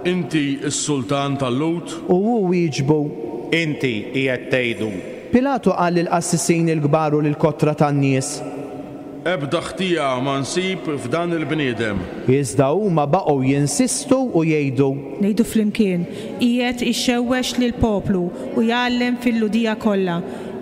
[SPEAKER 11] Inti s-Sultan tal-Lhud?
[SPEAKER 10] U hu wieġbu.
[SPEAKER 6] Inti qiegħed tgħidu.
[SPEAKER 10] Pilatu qal lill-qassisin il-kbar u lill-kotra tan-nies.
[SPEAKER 11] Ebda ħtija ma nsib f'dan il-bniedem.
[SPEAKER 10] Iżda huma baqgħu jinsistu u jgħidu.
[SPEAKER 7] Ngħidu flimkien, Qiegħed ixewwex lill-poplu u jgħallem fil-Lhudija kollha,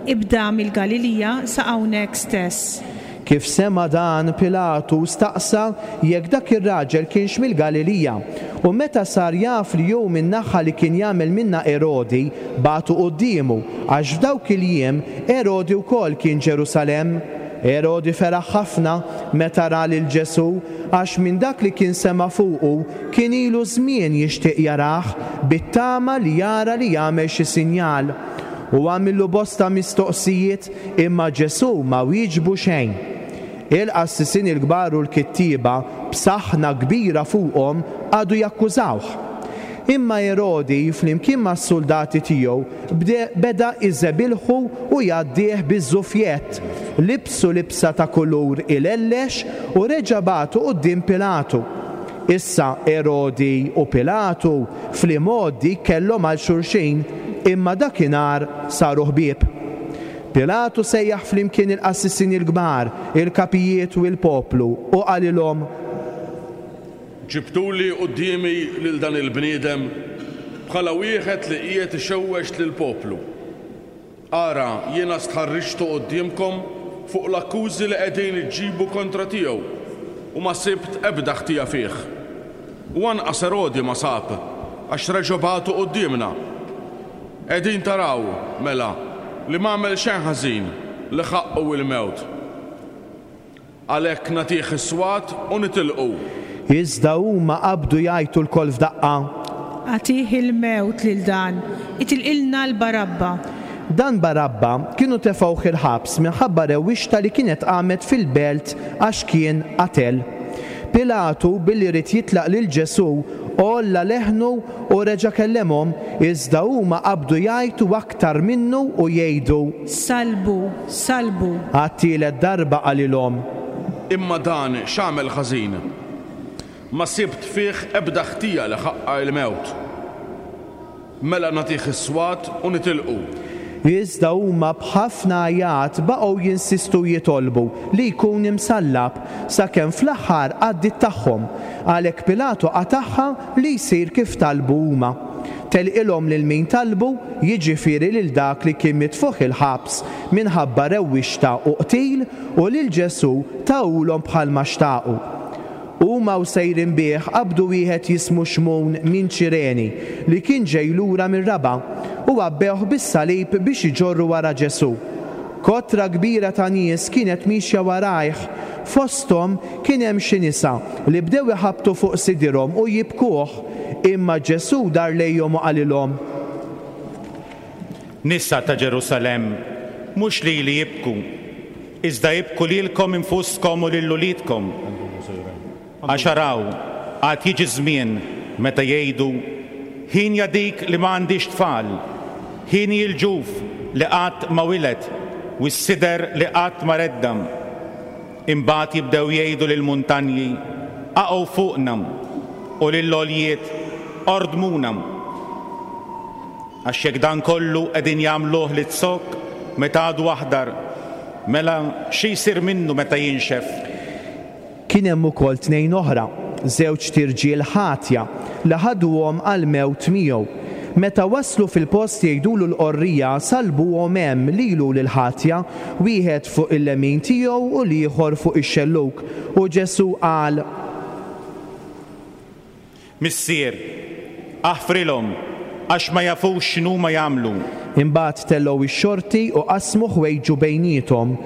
[SPEAKER 7] ibda mill-Galilija sa hawnhekk stess.
[SPEAKER 10] Kif sema' dan, Pilatu staqsa jekk dak ir-raġel kienx mill-Galilija. U meta sar jaf li hu min-naħa li kien jagħmel minnha Erodi, bagħtu quddiemu, għax f'dawk il-jiem Erodi wkoll kien Ġerusalemm. Erodi feraħ ħafna meta ra lil Ġesù, għax minn dak li kien sema' fuqu kien ilu żmien jixtieq jarah, bit-tama li jara li jagħmel xi sinjal. U għamillu bosta mistoqsijiet, imma Ġesù ma wieġbu xejn. Il-qassisin il-kbar u l-kittieba b'saħna kbira fuqhom, qagħdu jakkużawh. Imma Erodi, flimkien mas-suldati tiegħu, beda jżebilħu u jgħaddih biż-żufjett, libsu libsa ta' kulur ilellex u reġa' bagħtu quddiem Pilatu. Issa Erodi u Pilatu fl-imgħoddi kellhom għal xulxin, imma dakinhar saru ħbieb. Pilatu sejjaħ flimkien il-qassisin il-kbar, il-kapijiet u l-poplu, u qalilhom.
[SPEAKER 11] Ġibtuli quddiemi lil dan il-bniedem bħala wieħed li qiegħed ixewwex lill-poplu. Ara, jiena stħarriġtu quddiemkom fuq l-akkużi li qegħdin iġġibu kontra tiegħu, u ma sibt ebda ħtija fih. U anqas Erodi ma sab, għax reġa' bagħtu quddiemna. Qegħdin taraw, mela, li m'għamel xejn ħażin li ħaqqu l-mewt. Għalhekk nagħtih is-swat u nitilqu.
[SPEAKER 10] Iżda huma qabdu jgħajtu lkoll f'daqqa.
[SPEAKER 7] Agħtih il-mewt lil dan, itilqilna 'l Barabba.
[SPEAKER 10] Dan Barabba kienu tefgħuh il-ħabs minħabba rewwixta li kienet qamet fil-belt għax kien qatel. Pilatu, billi ried jitlaq lil Ġesù, għolla leħnu u reġa' kellemhom, iżda huma qabdu jgħajtu aktar minnu u jgħidu.
[SPEAKER 7] Sallbu! Sallbu!
[SPEAKER 10] Għat-tielet darba qalilhom.
[SPEAKER 11] Imma dan x'għamel ħażin? Ma sibt fih ebda ħtija li ħaqqha l-mewt. Mela nagħtih is-swat u nitilqu.
[SPEAKER 10] Iżda huma b'ħafna għajat baqgħu jinsistu jitolbu li jkun imsallab, sakemm fl-aħħar għaddiet tagħhom. Għalhekk Pilatu qatagħha li jsir kif talbu huma. Telqilhom lil min talbu, jiġifieri lil dak li kien mitfugħ il-ħabs minħabba rewwixta u qtil, u lil Ġesù tahulhom bħalma xtaqu. Huma u sejrin bih qabdu wieħed jismu Xmun minn Ċireni, li kien ġej lura mir-raba', u għabbewh bis-salib biex iġorru wara Ġesù. Kotra kbira ta' nies kienet miexja warajh, fosthom kien hemm xi nisa li bdew iħabbtu fuq sidirhom u jibkuh. Imma Ġesù dar lejhom u qalilhom.
[SPEAKER 6] Nisa ta' Ġerusalemm, mhux lili ibku, iżda ibku lilkom infuskom u lil uliedkom. Għax araw, għad jiġi żmien meta jgħidu, 'Hienja dik li ma għandhiex tfal, hieni l-ġuf li qatt ma wiled u s-sider li qatt ma redda'. Imbagħad jibdew jgħidu lill-muntanji, 'Aqgħu fuqna! u lill-għoljiet, 'Ordmuna! Għax jekk dan kollu qegħdin jagħmluh liz-zokk meta għadu aħdar, mela xi jsir minnu meta jinxef?
[SPEAKER 10] Kien hemm ukoll tnejn oħra, żewġt irġiel ħatja, li ħaduhom għall-mewt miegħu. Meta waslu fil-post jgħidulu l-qorrija, sallbuhom hemm lilu u lill-ħatja, wieħed fuq il-lemin tiegħu u l-ieħor fuq ix-xellug. U Ġesù qal.
[SPEAKER 6] Missier, aħfrilhom, għax ma jafux x'inhuma jagħmlu.
[SPEAKER 10] Imbagħad tellgħu x-xorti u qasmu ħwejġu bejniethom.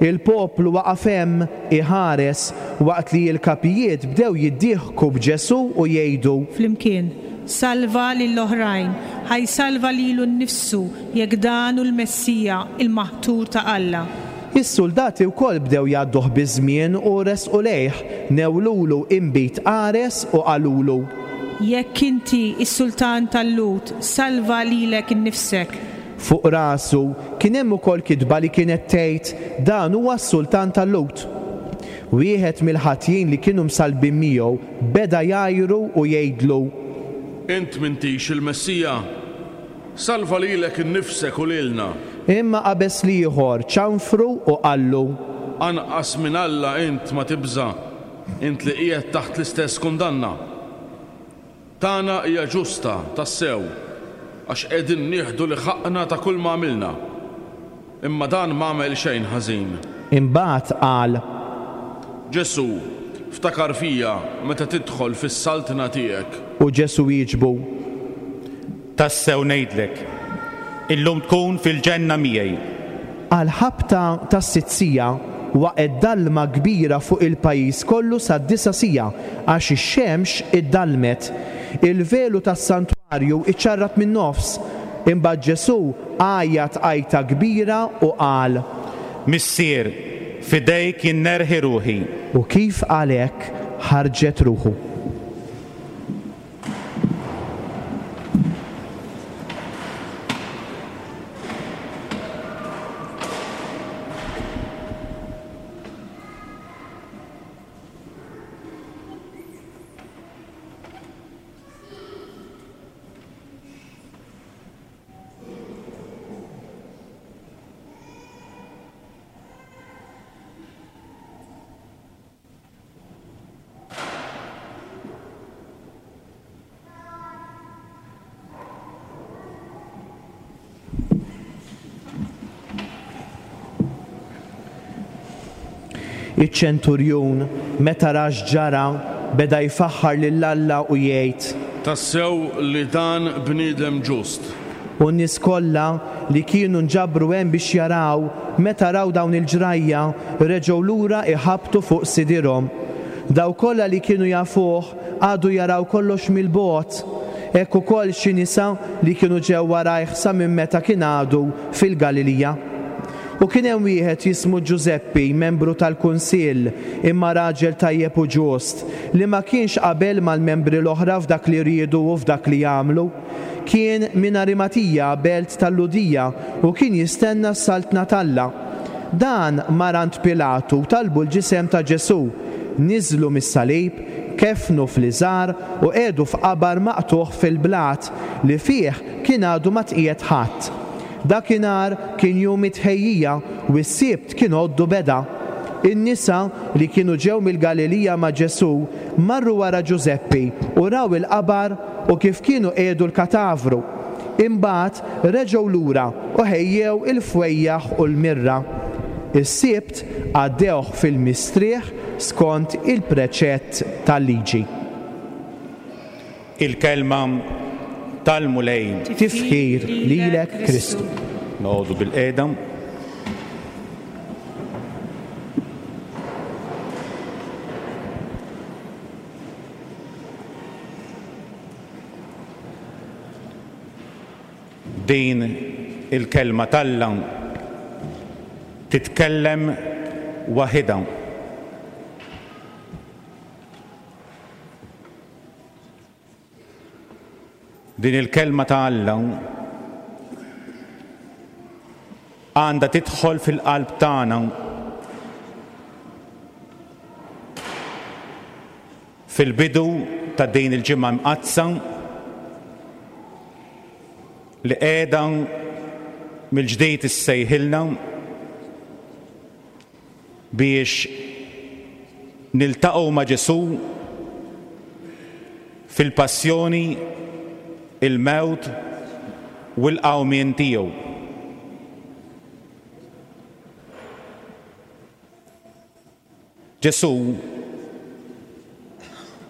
[SPEAKER 10] Il-poplu waqaf hemm, iħares, waqt li l-kapijiet bdew jiddieħku b'Ġesù u jgħidu.
[SPEAKER 7] Flimkien, Salva lill-oħrajn, ħa jsalva lilu nnifsu jekk dan hu l-Messija, il-Maħtur ta' Alla.
[SPEAKER 10] Is-suldati wkoll bdew jgħadduh biż-żmien u resqu lejh, newlulu inbid qares u qalulu.
[SPEAKER 7] Jekk inti s-sultan tal-Lhud, salva lilek innifsek.
[SPEAKER 10] Fuq rasu kien hemm ukoll kitba li kienet tgħid, Dan huwa s-sultan tal-Lhud. Wieħed mill-ħatjin li kienu msallbin miegħu beda jgħajru u jgħidlu.
[SPEAKER 11] Int m'intix il-Messija? Salva lilek innifsek u lilna.
[SPEAKER 10] Imma qabeż l-ieħor, ċanfru u qallu.
[SPEAKER 11] Anqas minn Alla int ma tibża', int li qiegħed taħt l-istess kundanna? Tagħna hija ġusta tassew, għax qegħdin nieħdu li ħaqqna ta' kulma għamilna. Imma dan m'għamel xejn ħażin.
[SPEAKER 10] Imbagħad qal.
[SPEAKER 11] Ġesù, ftakar fija meta tidħol fis-saltna tiegħek.
[SPEAKER 10] U Ġesù wieġbu.
[SPEAKER 6] Tassew ngħidlek, illum tkun fil-ġenna miegħi.
[SPEAKER 10] Għall-ħabta tas-sitt siegħa waqgħet dalma kbira fuq il-pajjiż kollu sad-disa' siegħa, għax ix-xemx iddallmet. Il-velu tas-santwarju ċċarrat min-nofs. Imbagħad Ġesù għajjat għajta kbira u qal.
[SPEAKER 6] Missier, f'idejk jien nerħi ruħi.
[SPEAKER 10] U kif qal hekk, ħarġet ruħu. Iċ-ċenturjun, meta ra x'ġara, beda jfaħħar lil Alla u jgħid.
[SPEAKER 11] Tassew li dan bniedem ġust.
[SPEAKER 10] U n-nies kollha li kienu nġabru hemm biex jaraw, meta raw dawn il-ġrajja, reġgħu lura jħabbtu fuq sidirhom. Dawk kollha li kienu jafuh qagħdu jaraw kollox mill-bogħod. Hekk ukoll xi nisa li kienu ġew warajh sa minn meta kien għadu fil-Galilija. U kien hemm wieħed jismu Ġużeppi, membru tal-kunsill, imma raġel tajjeb u ġust, li ma kienx qabel mal-membri l-oħra f'dak li riedu u f'dak li għamlu. Kien minn Arimatija, belt tal-Lhudija, u kien jistenna s-Saltna t'Alla. Dan mar għand Pilatu u talbu l-ġisem ta' Ġesù. Niżżlu mis-salib, keffnu fl-iżgħar u qiegħdu f'qabar maqtugħ fil-blat, li fih kien għadu ma tqiegħed ħadd. Dakinhar kien jum it-tħejjija u s-Sibt kien għoddu beda. In-nisa, li kienu ġew mill-Galilija ma' Ġesù, marru wara Ġużeppi u raw il-qabar u kif kienu qiegħdu l-katavru. Imbagħad reġgħu lura u ħejjew il-fwejjaħ u l-mirra. Is-Sibt għaddewh fil-mistrieħ skont il-preċett tal-Liġi.
[SPEAKER 6] Il-Kelma tal-Mulej.
[SPEAKER 10] Tifħir lilek Kristu.
[SPEAKER 6] Noqogħdu bilqiegħda. Din il-Kelma t'Alla titkellem waħidha. Din il-Kelma ta' Alla għandha tidħol fil-qalb tagħna fil-bidu ta' din il-Ġimgħa Mqaddsa li qiegħda mill-ġdid issejħilna biex niltaqgħu ma' Ġesù fil-passjoni, il-mewt u l-qawmien tiegħu. Ġesù,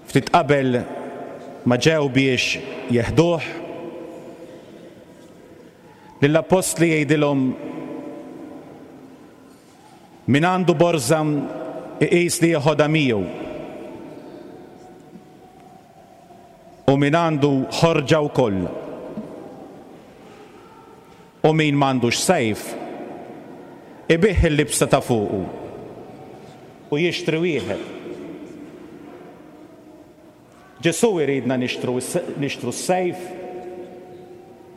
[SPEAKER 6] ftit qabel ma ġew biex jeħduh, lill-appostli jgħidilhom, Min għandu borża iqis li jeħodha miegħu, u min għandu ħorġa wkoll. U min m'għandux sejf, ibigħ il-libsa ta' fuqu u jixtri wieħed. Ġesù jridna nixtru nixtru s-sejf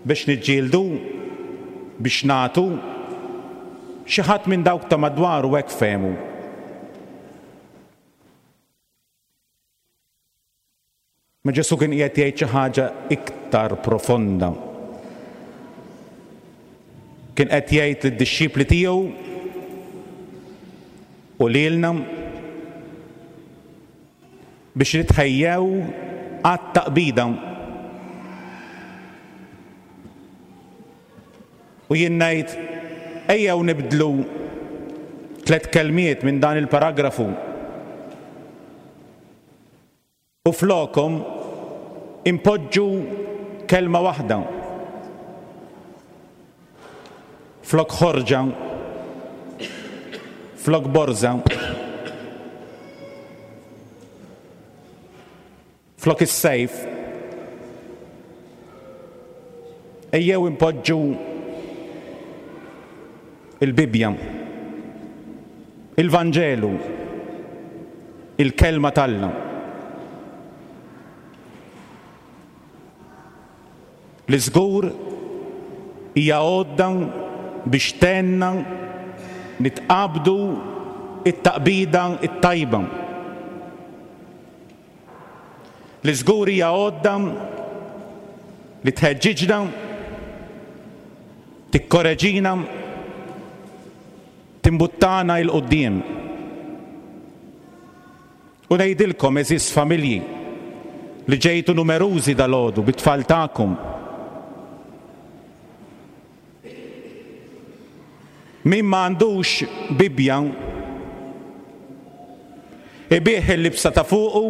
[SPEAKER 6] biex niġġieldu, biex nagħtu. Xi ħadd minn dawk ta' madwaru hekk fehmu. Ma Ġesù kien qiegħed jgħid xi ħaġa iktar profonda. Kien qed jgħid lid-dixxipli tiegħu u lilna biex nitħejjew għat-taqbida. U jien ngħid, ejjew nibdlu tlett kelmiet minn dan il-paragrafu. U flokhom inpoġġu kelma waħda. Flok ħorġa, flok borża, flok is-sejf, ejjew inpoġġu il-Bibbja, il-Vanġelu, il-Kelma t'Alla. Li żgur hija għodda biex tgħinna nitqabdu t-taqbida t-tajba. Li żgur hija għodda li tħeġġiġna, tikkoreġina, timbuttana 'l quddiem. U ngħidilkom, għeżież familji, li ġejtu numerużi dalgħodu bit-tfal tagħkom, min ma għandux Bibbja, ibigħ il-libsa ta' fuqu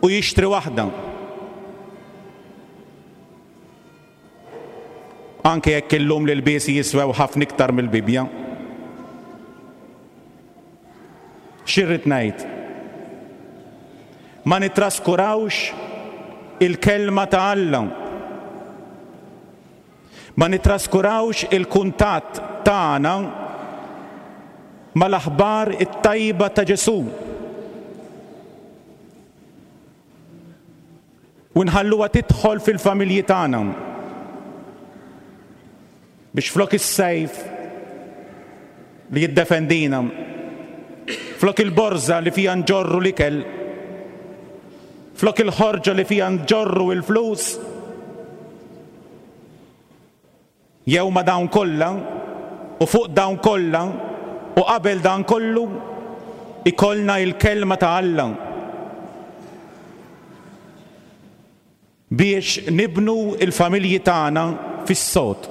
[SPEAKER 6] u jixtri waħda. Anke jekk illum l-ilbiesi jiswew ħafna iktar mill-Bibbja. Xi rrid ngħid? Ma nittraskurawx il-Kelma ta' Alla. Ma nittraskurawx il-kuntatt tagħna mal-aħbar it-tajba ta' Ġesù. U nħalluha tidħol fil-familji tagħna. Biex flok is-sejf li jiddefendina, flok il-borża li fiha nġorru l-ikel, flok il-ħorġa li fiha nġorru l-flus, jew ma' dawn kollha, u fuq dawn kollha, u qabel dan kollu, ikollna il-Kelma ta' Alla. Biex nibnu l-familji tagħna fis-sod.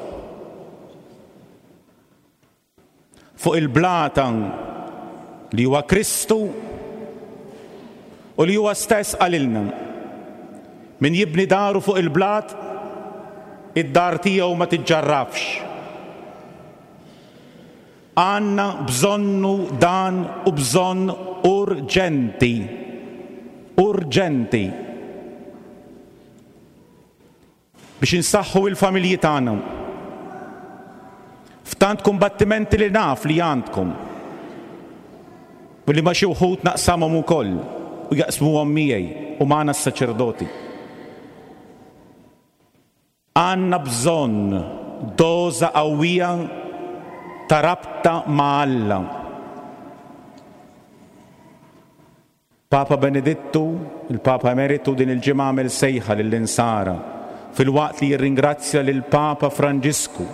[SPEAKER 6] Fuq il-blata li huwa Kristu u li huwa stess qalilna, Min jibni daru fuq il-blat, id-dar tiegħu ma tiġġarrafx. Għandna bżonnu dan u bżonn urġenti. Urġenti. Biex insaħħu il-familji tagħna. F'tant kumbattimenti li naf li għandkom. U li ma' xi wħud naqsamhom ukoll u jaqsmuhom miegħi u magħna s-saċerdoti. Għandna bżonn doża qawwija ta' rabta ma' Alla. Papa Benedittu, il-Papa Emeritu din il-ġimgħa għamel sejħa lill-Insara filwaqt li jirringrazzja lill-Papa Franġisku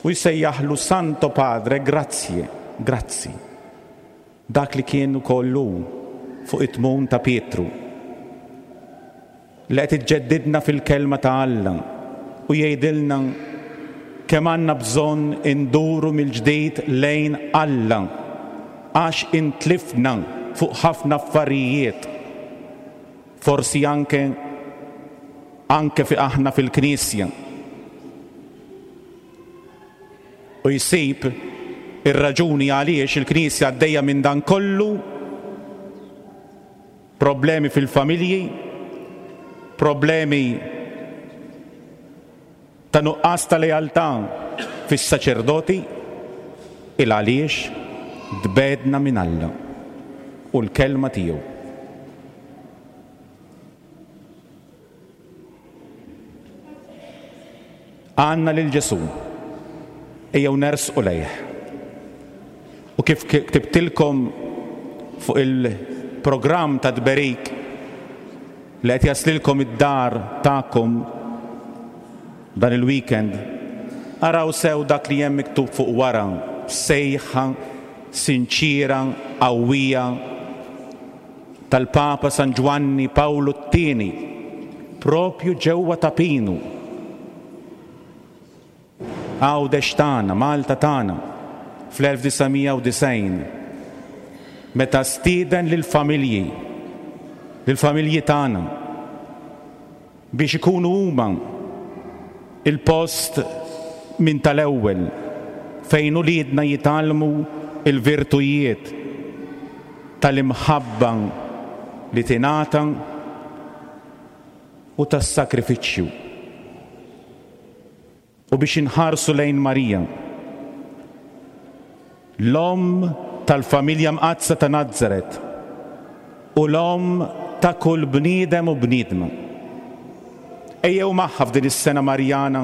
[SPEAKER 6] u jsejjaħlu Santo Padre grazie, grazzi. Dak li kien ukoll hu fuq it-tmun ta' Pietru. Li qed iġġeddidna fil-Kelma ta' Alla u jgħidilna kemm għandna bżonn induru mill-ġdid lejn Alla għax intlifna fuq ħafna affarijiet, forsi anke anke fi aħna fil-Knisja. U jsib ir-raġuni għaliex il-Knisja għaddejja minn dan kollu Problemi fil-familji, problemi ta' nuqqas ta' lealtà fis-saċerdoti, il għaliex tbegħdna minn Alla u l-Kelma tiegħu. Għandna lil Ġesù. Ejjew nersqu lejh. U kif ktibtilkom fuq il-programm ta' tberik li qed jaslilkom id-dar tagħkom dan il-weekend, araw sew dak li hemm miktub fuq wara, sejħa sinċiera, qawwija, tal-Papa San Ġwanni Pawlu t-Tieni, propju ġewwa Ta' Pinu, Għawdex tagħna, Malta tagħna, fl-1990, meta stieden lill-familji, lill-familji tagħna, biex ikunu huma l-post minn tal-ewwel fejn uliedna jitgħallmu l-virtujiet tal-imħabba li tingħata u tas-sagrifiċċju. U biex inħarsu lejn Marija, l-Omm tal-Familja Mqaddsa ta' Nazaret u l-Omm ta' kull bniedem u bniedma. Ejjew magħha f'din is-sena Marjana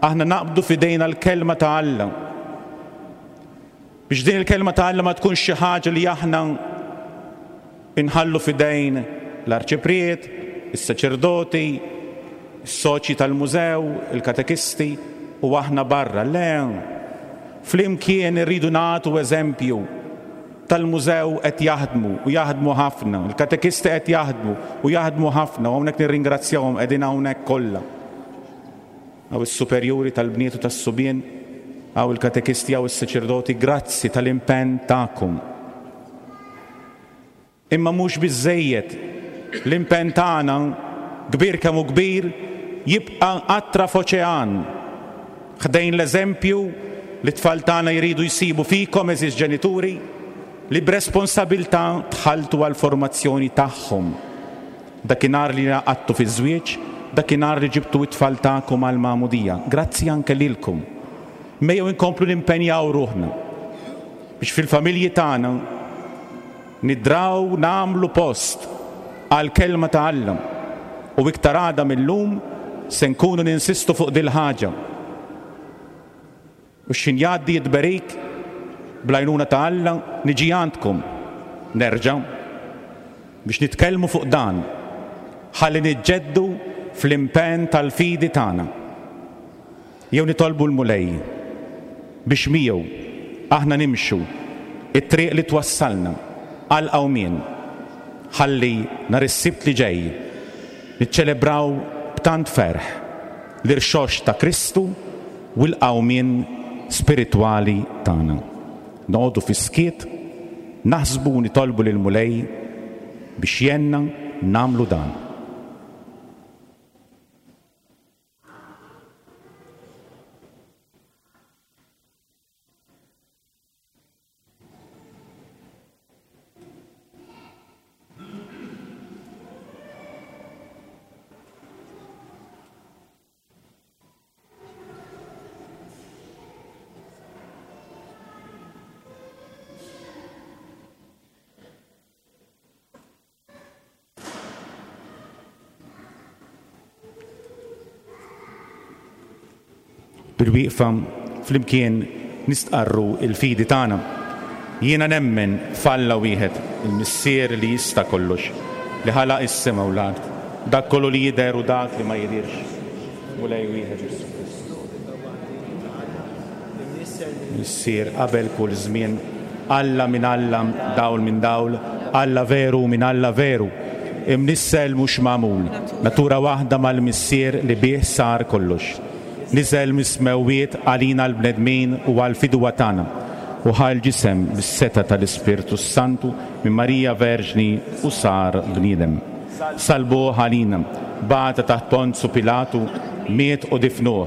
[SPEAKER 6] aħna naqbdu f'idejna l-Kelma ta' Alla. Biex din il-Kelma ta' Alla ma tkunx xi ħaġa li aħna inħallu f'idejn l-arċipriet, is-saċerdoti, is-soċji tal-mużew, il-katekisti u aħna barra. Le! Flimkien irridu nagħtu eżempju tal-mużew qed jaħdmu u jaħdmu ħafna, il-katekisti qed jaħdmu u jaħdmu ħafna u hawnhekk nirringrazzjahom qegħdin hawnhekk kollha. Hawn is-superjuri tal-bniet u tas-subien, hawn il-katekisti, hawn is-saċerdoti, grazzi tal-impenn tagħkom. Imma mhux biżżejjed. L-impenn tagħna, kbir kemm hu kbir, jibqa' qatra f'oċean. Ħdejn l-eżempju li t-tfal tagħna jridu jsibu fikom, għeżież ġenituri, li b'responsabilità dħaltu għall-formazzjoni tagħhom. Dakinhar li ngħaqadtu fiż-żwieġ, dakinhar li ġibtu t-tfal tagħkom għall-magħmudija. Grazzi anke lilkom. Mejjew inkomplu nimpenjaw ruħna biex fil-familji tagħna nidraw nagħmlu post għall-Kelma ta' Alla u iktar għada mil-lum se nkunu ninsistu fuq dil-ħaġa. U x'ħin jgħaddi t-tberik, bl-għajnuna ta' Alla, niġi għandkom nerġa' biex nitkellmu fuq dan, ħalli niġġeddu fl-impenn tal-fidi tagħna. Jew nitolbu l-Mulej biex miegħu aħna nimxu t-triq li twassalna għall-qawmien, ħalli nhar is-Sibt li ġej niċċelebraw b'tant ferħ l-irxoxt ta' Kristu u l-qawmien spiritwali tagħna. Noqogħdu fis-skiet, naħsbu u nitolbu lill-Mulej biex jgħinna nagħmlu dan. Bil-wieqfa flimkien nistqarru l-fidi tagħna. Jiena nemmen f'Alla wieħed, il-Missier li jista' kollox, li ħalaq is-sema u l-art, dak kollu li jidher u dak li ma jidhirx. Mulej wieħed Ġesù Kristu. Missier qabel kull żmien, Alla minn Alla, dawl minn dawl, Alla veru minn Alla veru, imnissel mhux magħmul, natura waħda mal-Missier li bih sar kollox. Niżel mis-smewwiet għalina l-bnedmin u għall-fidwa tagħna, u ħa l-ġisem bis-setgħa tal-Ispirtu s-Santu minn Marija Verġni u sar bniedem. Salbuh għalina, bata taħt Ponzu Pilatu, miet u difnuh,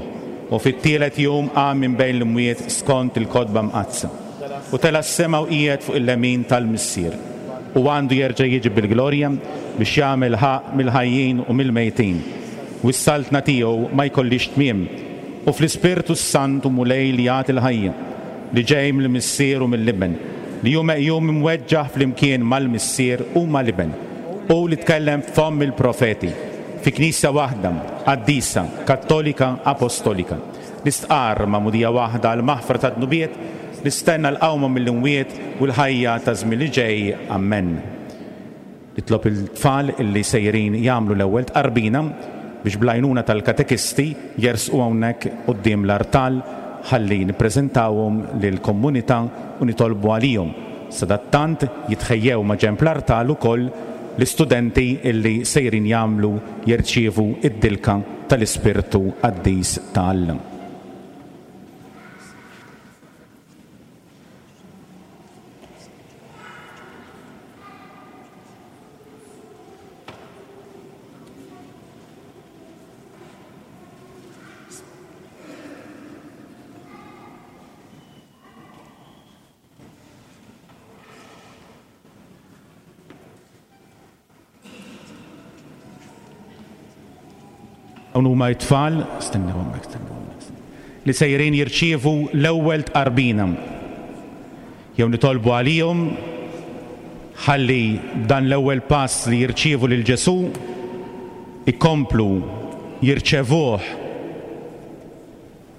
[SPEAKER 6] U fit-tielet jum qam minn bejn l-imwiet skont il-Kotba Mqaddsa, u tela' s-sema u qiegħed fuq il-lemin tal-Missier, u għandu jerġa' jiġi bil-glorja biex jagħmel ħaqq mill-ħajjin u mill-mejtin, u s-saltna tiegħu ma jkollhiex tmiem. U fl-Ispirtu s-Santu Mulej li jagħti l-ħajja, li ġej mill-Missier u mill-Iben, li hu meqjum imweġġaħ flimkien mal-Missier u mal-Iben, hu li tkellem f'fomm il-profeti, Fi Knisja waħda, qaddisa, kattolika, apostolika. Nistqarr magħmudija waħda għall-maħfra tad-dnubiet, nistenna l-qawma mill-imwiet u l-ħajja taż-żmien li ġej. Ammen. Nitlob il-tfal illi sejrin jagħmlu l-ewwel tqarbina biex bl-għajnuna tal-katekisti jersqu hawnhekk quddiem l-artal ħalli nippreżentawhom lill-kommunità u nitolbu għalihom. Sadattant jitħejjew maġenb l-artal ukoll l-istudenti illi sejrin jagħmlu jirċievu d-dilka tal-Ispirtu Qaddis ta' Alla. Dawn huma t-tfal, stennew hemmhekk, stennew hemmhekk, li sejrin jirċievu l-ewwel tqarbina. Jew nitolbu għalihom ħalli b'dan l-ewwel pass li jirċievu lil Ġesù ikomplu. jirċevuh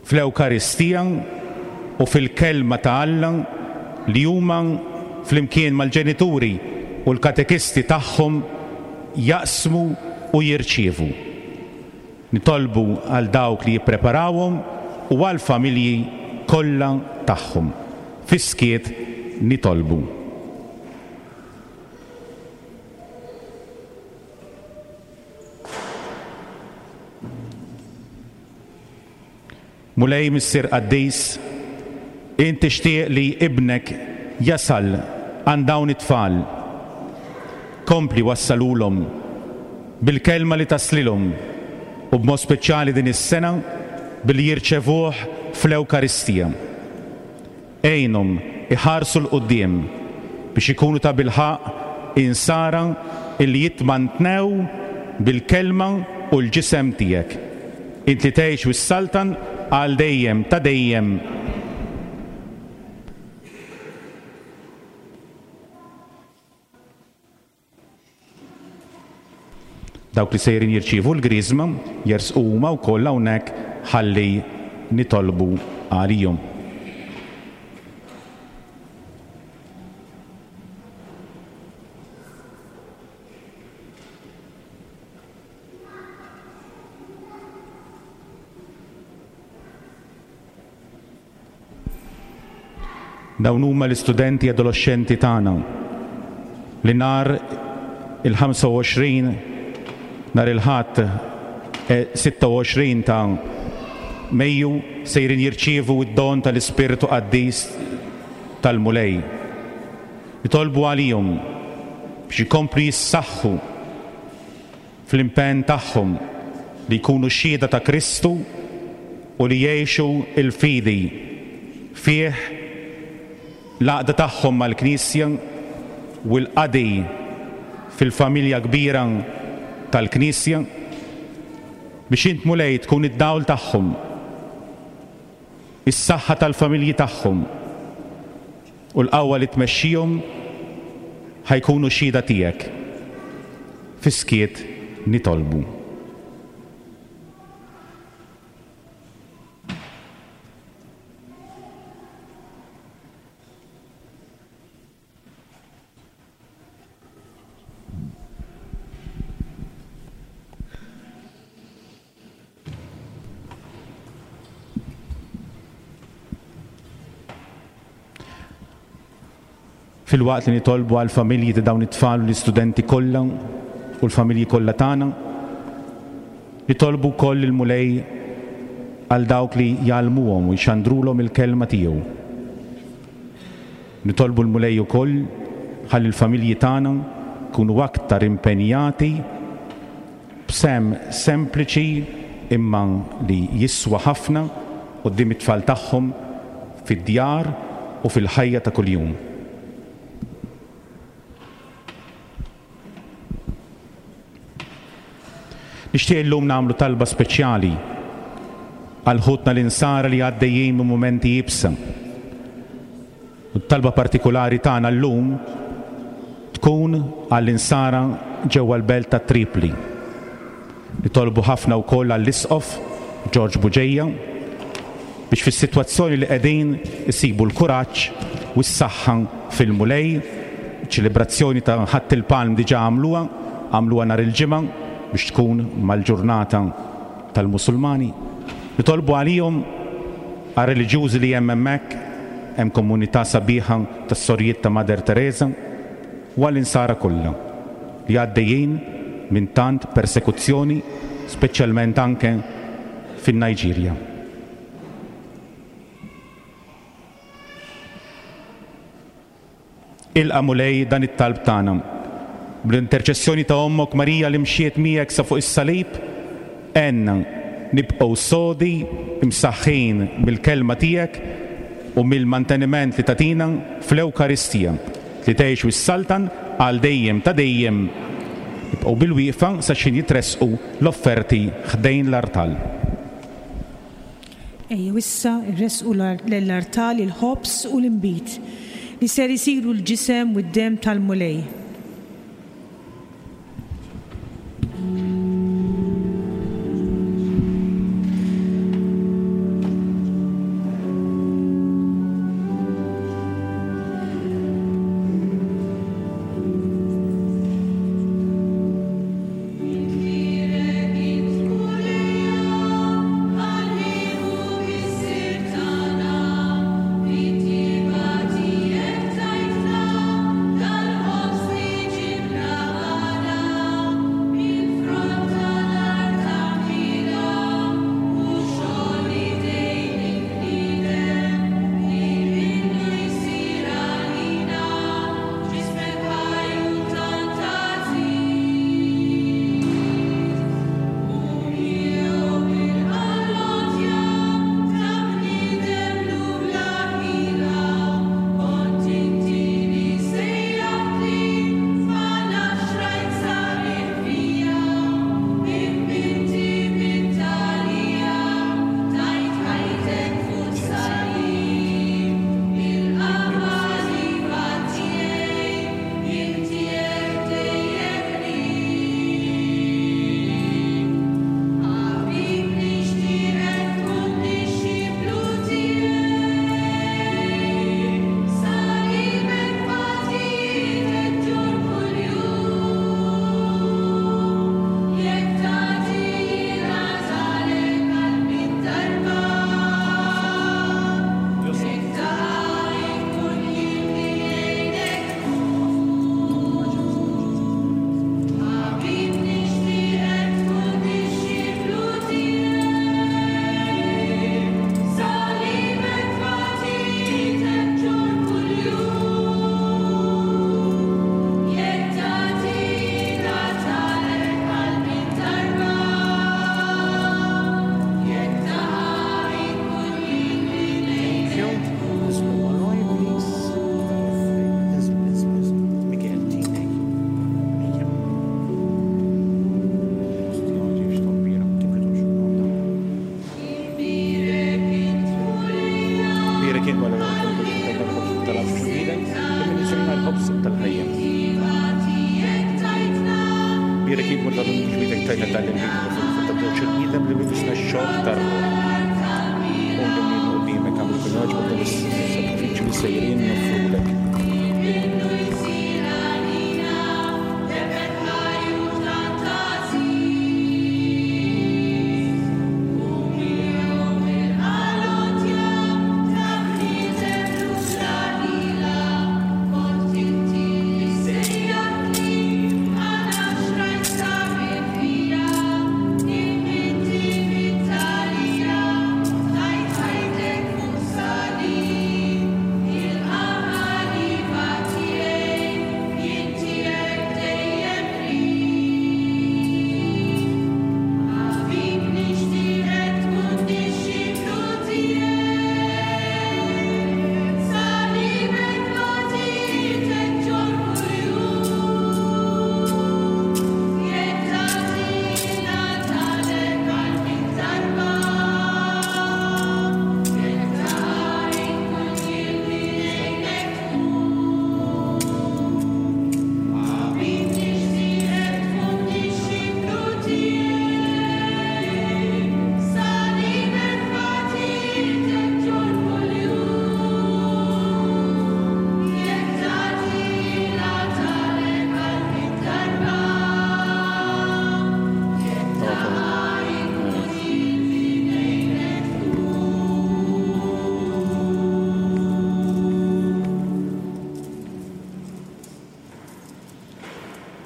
[SPEAKER 6] fl-Ewkaristija u fil-Kelma ta' Alla li huma flimkien mal-ġenituri u l-katekisti tagħhom jaqsmu u jirċievu. Nitolbu għal dawk li jippreparawhom u għall-familji kollha tagħhom. Fis-skiet nitolbu. Mulej Missier Qaddis, int tixtieq li Ibnek jasal għand dawn it-tfal. Kompli wassalulhom bil-kelma li taslilhom u b'mod speċjali din is-sena billi jirċevuh fl-Ewkaristija. Għinhom iħarsu 'l quddiem biex ikunu tabilħaqq Insara illi jitmantnew bil-Kelma u l-Ġisem tiegħek. Int li tgħix u ssaltan għal dejjem ta' dejjem. Dawk li sejrin jirċievu l-Griżma jersqu huma wkoll hawnhekk ħalli nitolbu għalihom. Dawn huma l-istudenti adoloxxenti tagħna li nhar il-25 nhar il-Ħadd 26 ta' Mejju sejrin jirċievu d-don tal-Ispirtu Qaddis tal-Mulej. Nitolbu għalihom biex ikomplu jissaħħu fl-impenn tagħhom li jkunu xhieda ta' Kristu u li jgħixu l-fidi fih, l-għaqda tagħhom mal-Knisja u l-qadi fil-familja kbira tal-Knisja, biex int Mulej tkun id-dawl tagħhom, is-saħħa tal-familji tagħhom u l-qawwa li tmexxihom ħa jkunu xhieda tiegħek. Fis-skiet nitolbu. Filwaqt li nitolbu għall-familji ta' dawn it-tfal u l-istudenti kollha u l-familji kollha tagħna, nitolbu wkoll lill-Mulej għal dawk li jgħallmuhom u jxandrulhom il-kelma tiegħu. Nitolbu l-Mulej ukoll ħalli l-familji tagħna jkunu aktar impenjati b'sehem sempliċi imma li jiswa ħafna quddiem it-tfal tagħhom fid-djar u fil-ħajja ta' kuljum. Nixtieq illum nagħmlu talba speċjali għal ħutna l-Insara li għaddejjin minn mumenti iebsa. U t-talba partikulari tagħna llum tkun għall-Insara ġewwa l-belt ta' Tripli. Nitolbu ħafna wkoll għall-Isqof George Bugeja biex fis-sitwazzjoni li qegħdin isibu l-kuraġġ u s-saħħa fil-Mulej. Iċ-ċelebrazzjoni ta' Ħadd il-Palm diġà għamluha, għamluha nhar il-Ġimgħa biex tkun mal-ġurnata tal-Musulmani. Nitolbu għalihom, għar-reliġjużi li hemm hemmhekk, hemm komunità sabiħa tas-Sorijiet ta' Mother Teresa, u għall-Insara kollha li għaddejjin minn tant persekuzzjoni, speċjalment anke fin-Niġerja. Ilqa' Mulej dan it-talb tagħna. Bl-interċessjoni ta' Ommok Marija li mxiet miegħek sa fuq is-salib, għenna nibqgħu sodi, imsaħħin mill-Kelma tiegħek u mill-manteniment li tagħtina fl-Ewkaristija. Li tgħix u ssaltan għal dejjem ta' dejjem. Ibqgħu bilwieqfa sa x'ħin jitressqu l-offerti ħdejn l-artal.
[SPEAKER 7] Ejjew issa rressqu lill-artal il-ħobż u l-inbid, li ser isiru l-ġisem u d-demm tal-Mulej.
[SPEAKER 6] Imbierek int Mulej tal-Univers b'idek tajna dan il-bniedem fil-frott ta' żewġ il-bniedem li libisna x-xokk tar-ruħ. U li minn quddiemek għamlu kun jogħġbok dan is-sagrifiċċju li sejrin noffrulek.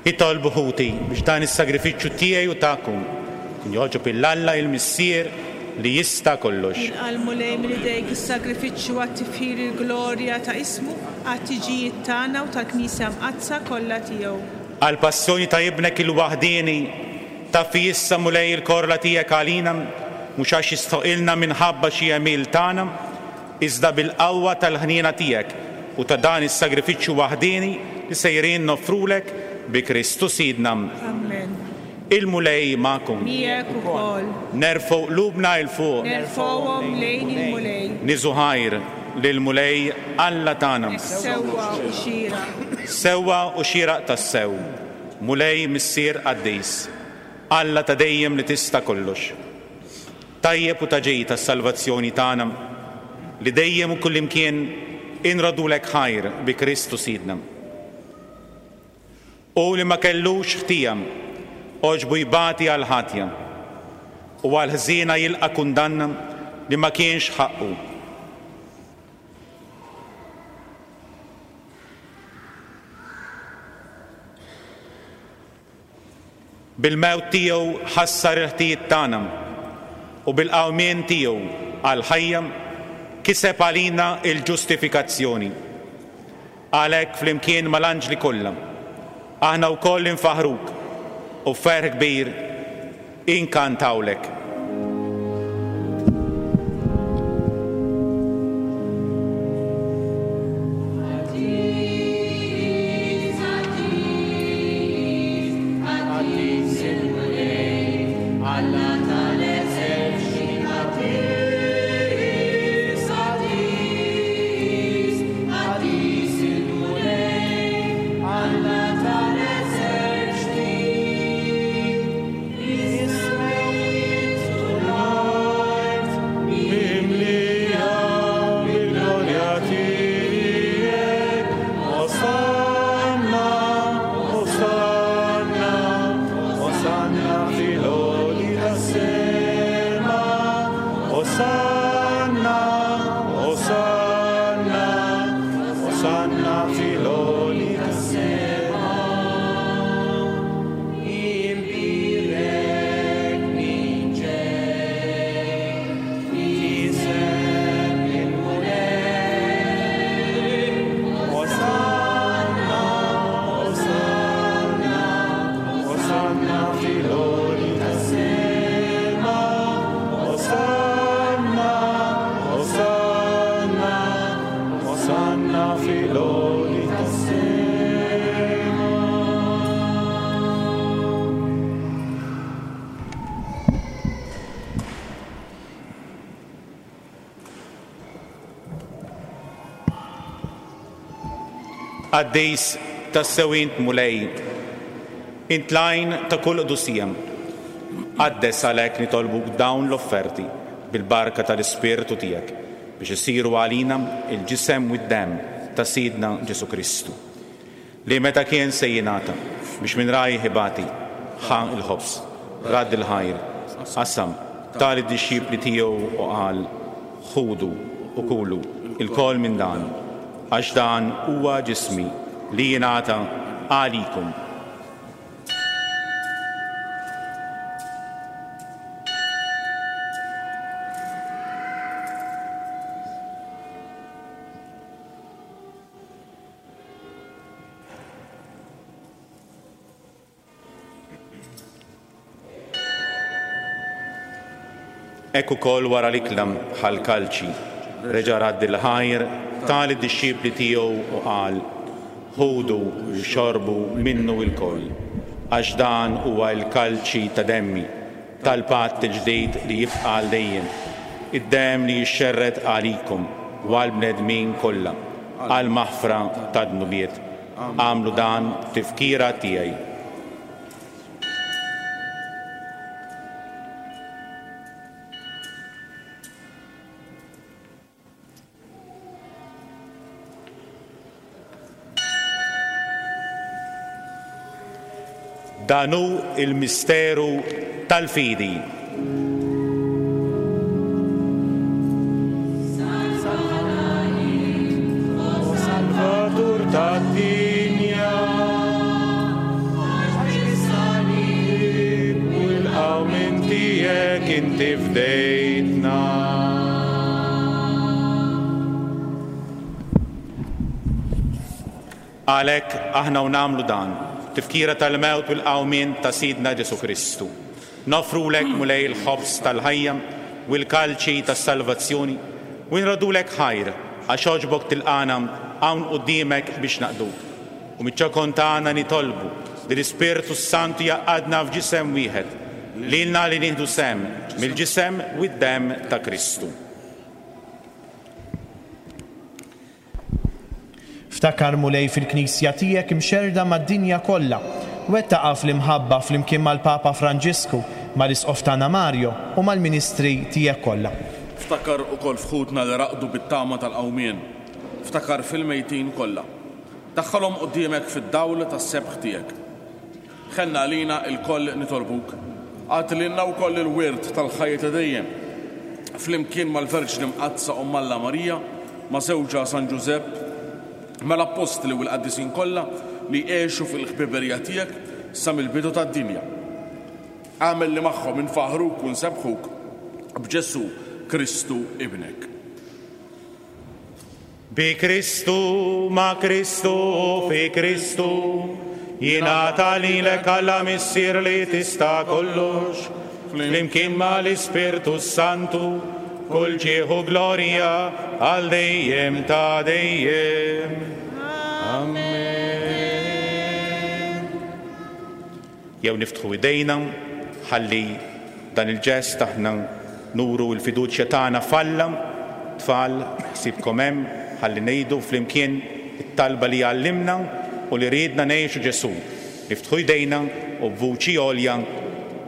[SPEAKER 6] Itolbu ħuti biex dan is-sagrifiċċju tiegħi u tagħkom ikun jogħġob 'il Alla il-Missier li jista' kollox.
[SPEAKER 7] Jilqa' l-Mulej minn idejk is-sagrifiċċju għat-tifħir il-glorja ta' ismu, għat-tiġijiet tagħna u tal-Knisja Mqaddsa kollha tiegħu.
[SPEAKER 6] Għall-passjoni ta' Ibnek il-waħdieni, taffi issa, Mulej, il-korla tiegħek għalina, mhux għax jistħoqilna minħabba xi għemil tagħna, iżda bil-qawwa tal-ħniena tiegħek u ta' dan is-sagrifiċċju waħdieni li sejrin noffrulek bi Kristu Sidna.
[SPEAKER 7] Ammen.
[SPEAKER 6] Il-Mulej magħkom.
[SPEAKER 7] Miegħek ukoll.
[SPEAKER 6] Nerfgħu qlubna 'l fuq.
[SPEAKER 7] Nerfgħuhom lejn il-Mulej.
[SPEAKER 6] Niżu ħajr lill-Mulej Alla tagħna.
[SPEAKER 7] Hekk sewwa u xieraq.
[SPEAKER 6] Sewwa u xieraq tassew, Mulej Missier qaddis, Alla ta' dejjem li tista' kollox. Tajjeb u ta' ġid għas-salvazzjoni tagħna, li dejjem u kullimkien inroddulek ħajr bi Kristu Sidna. Hu li ma kellux ħtija, għoġbu jbati għall-ħatja, u għall-ħżiena jilqa' kundanna li ma kienx ħaqqu. Bil-mewt tiegħu ħassar il-ħtijiet tagħna u bil-qawmien tiegħu għall-ħajja kiseb għalina l-ġustifikazzjoni. Għalhekk flimkien mal-anġli kollha, aħna wkoll infaħħruk u b'ferħ kbir inkantawlek. Qaddis tassew int Mulej. Int l-għajn ta' kull qdusija. Qaddes għalhekk nitolbuk dawn l-offerti bil-barka tal-Ispirtu tiegħek biex isiru għalina l-ġisem u d-demm ta' Sidna Ġesù Kristu, li meta kien se jingħata biex minn rajh ibati, ħa l-ħobż, radd il-ħajr, qasam, ta lid-dixxipli tiegħu u qal, Ħudu u kulu lkoll minn dan, għax dan huwa ġismi li jingħata għalikom. Hekk ukoll wara l-ikla ħa l-kalċi, reġa' radd il-ħajr, ta lid-dixxipli tiegħu u qal, Ħudu u xorbu minnu lkoll, għax dan huwa l-kalċi ta' demmi, tal-patt il-ġdid li jibqa' għal dejjem, id-demm li jixxerred għalikom u għall-bnedmin kollha għall-maħfra tad-dnubiet. Agħmlu dan b'tifkira tiegħi. Dan hu l-misteru tal-fidi.
[SPEAKER 12] Salvatur tad-dinja, għax bis-salib u l-qawmien tiegħek inti fdejtna.
[SPEAKER 6] Għalhekk aħna u nagħmlu dan, b'tifkira tal-mewt u l-qawmien ta' Sidna Ġesù Kristu, noffrulek, Mulej, il-ħobż tal-ħajja u l-kalċi tas-salvazzjoni, u nroddulek ħajr għax għoġbok tilqagħna hawn quddiemek biex naqduk. U miċ-ċokon tagħna nitolbu li l-Ispirtu s-Santu jgħaqqadna f'ġisem wieħed, lilna li nieħdu sehem mill-ġisem u d-demm ta' Kristu.
[SPEAKER 10] Ftakar, Mulej, fil-Knisja tiegħek imxerrda mad-dinja kollha. Wettaqha fl-imħabba flimkien mal-Papa Franġisku, mal-Isqof tagħna Mario u mal-ministri tiegħek kollha.
[SPEAKER 11] Ftakar ukoll f'ħutna li raqdu bit-tama tal-qawmien. Ftakar fil-mejtin kollha. Daħħalhom quddiemek fid-dawl tas-sebħ tiegħek. Ħenn għalina ilkoll nitolbuk. Agħti lilna wkoll il-wirt tal-ħajja ta' dejjem, flimkien mal-Verġni Mqaddsa Omm Alla Marija, ma' żewġha San Ġużepp, mal-Appostli u l-qaddisin kollha li għexu fil-ħbiberija tiegħek sa mill-bidu tad-dinja. Agħmel li magħhom infaħħruk u nsebbħuk b'Ġesù Kristu Ibnek.
[SPEAKER 6] Bi Kristu, ma' Kristu u fi Kristu, jingħata lilek Alla Missier li tista' kollox, flimkien ma' l-Ispirtu s-Santu, kull ġieħ u glorja għal dejjem ta' dejjem. Amen. Jew niftħu idejna ħalli b'dan il-ġest aħna nuru l-fiduċja tagħna f'Alla. Tfal, ħsiebkom hemm ħalli ngħidu flimkien it-talba li għallimna u li riedna ngħixu Ġesù. Niftħu jdejna u b'vuċi għolja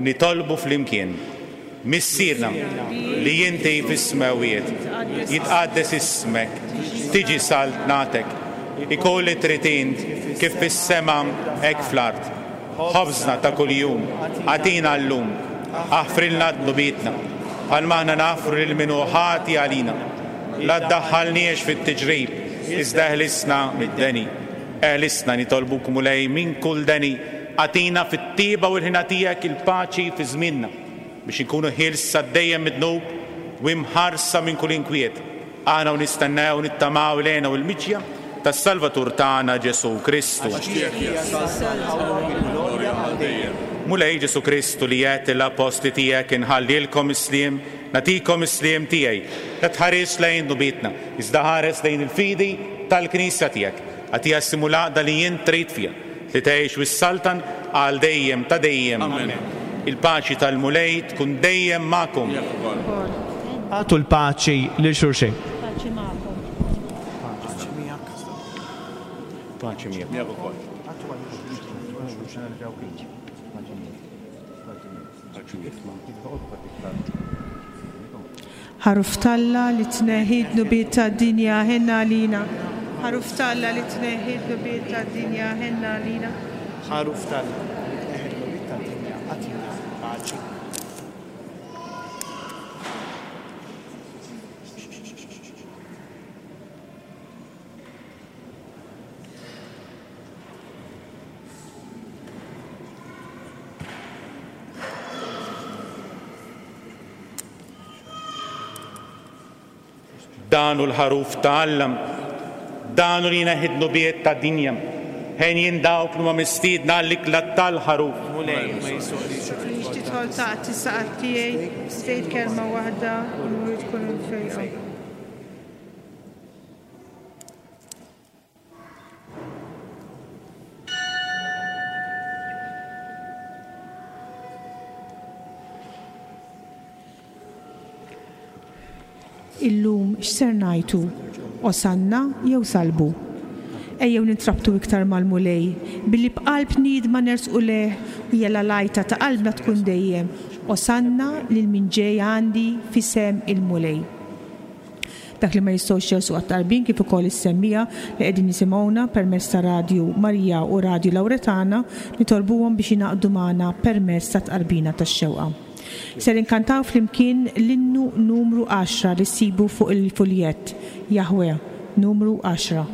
[SPEAKER 6] nitolbu flimkien. Missierna li inti fis-smewwiet, jitqaddes ismek, tiġi saltnatek, ikun li trid int kif fis-sema hekk fl-art. Ħobżna ta' kuljum agħtina llum, aħfrilna dnubietna, bħalma aħna naħfru lil min hu ħati għalina. La ddaħħalniex fit-tiġrib, iżda eħlisna mid-deni. Eħlisna, nitolbuk Mulej, minn kull deni, agħtina fit-tjieba u l-ħniena tiegħek il-paċi fi żmienna, biex inkunu ħielsa dejjem mid-dnub u imħarsa minn kull inkwiet, aħna u nistennew u nittamaw l-hena u l-miġja tas-Salvatur tagħna Ġesù Kristu.
[SPEAKER 11] Għax tiegħek hija s-saltna, l-qawwa u l-glorja għal dejjem.
[SPEAKER 6] Mulej Ġesù Kristu li għedt lill-appostli tiegħek inħallilkom is-sliem, nagħtikom is-sliem tiegħi, la tħarisx lejn dnubietna, iżda ħares lejn il-fidi tal-Knisja tiegħek. Agħtiha s-sliem u l-għaqda li int trid fiha, li tgħix u ssaltan għal dejjem ta' dejjem.
[SPEAKER 11] Amen.
[SPEAKER 6] Il-paċi tal-Mulej tkun dejjem magħkom.
[SPEAKER 11] Miegħek ukoll.
[SPEAKER 10] Agħtu l-paċi lil xulxin.
[SPEAKER 7] Paċi magħkom.
[SPEAKER 6] Paċi miegħek.
[SPEAKER 11] Miegħek ukoll.
[SPEAKER 7] Ħaruf t'Alla li tneħħi d-dnubiet tad-dinja, ħenn għalina. Ħaruf t'Alla li tneħħi d-dnubiet tad-dinja, ħenn għalina.
[SPEAKER 10] Ħaruf t'Alla li tneħħi d-dnubiet tad-dinja, agħtina l-paċi.
[SPEAKER 6] Dan hu l-Ħaruf ta' Alla, dan hu li jneħħi d-dnubiet tad-dinja. Henjin dawk li huma mistiedna għall-ikla tal-Ħaruf.
[SPEAKER 10] Mulej, ma jistgħoqlix li
[SPEAKER 7] Tridx tidħol taħt is-saqaf tiegħi, tgħid kelma waħda u l-mwiet tkun imfejqa. Illum x'ser ngħajtu? Osanna jew salbu? Ejjew nintrabtu iktar mal-Mulej, billi b'qalb niedma nersqu lejh u jalla l-għajta ta' qalbna tkun dejjem, Osanna lil min ġej għandi f'isem il-Mulej. Dak li ma jistgħux jersqu għat-tqarbin kif ukoll is-semmiegħa li qegħdin jisimgħuna permezz ta' Radju Marija u Radju Lawretana nitolbuhom biex jingħaqdu magħna permezz tat-tqarbina tax-xewqa. Ser inkantaw flimkien l-innu numru għaxra li ssibu fuq il-fuljett, Jahweh, numru għaxra.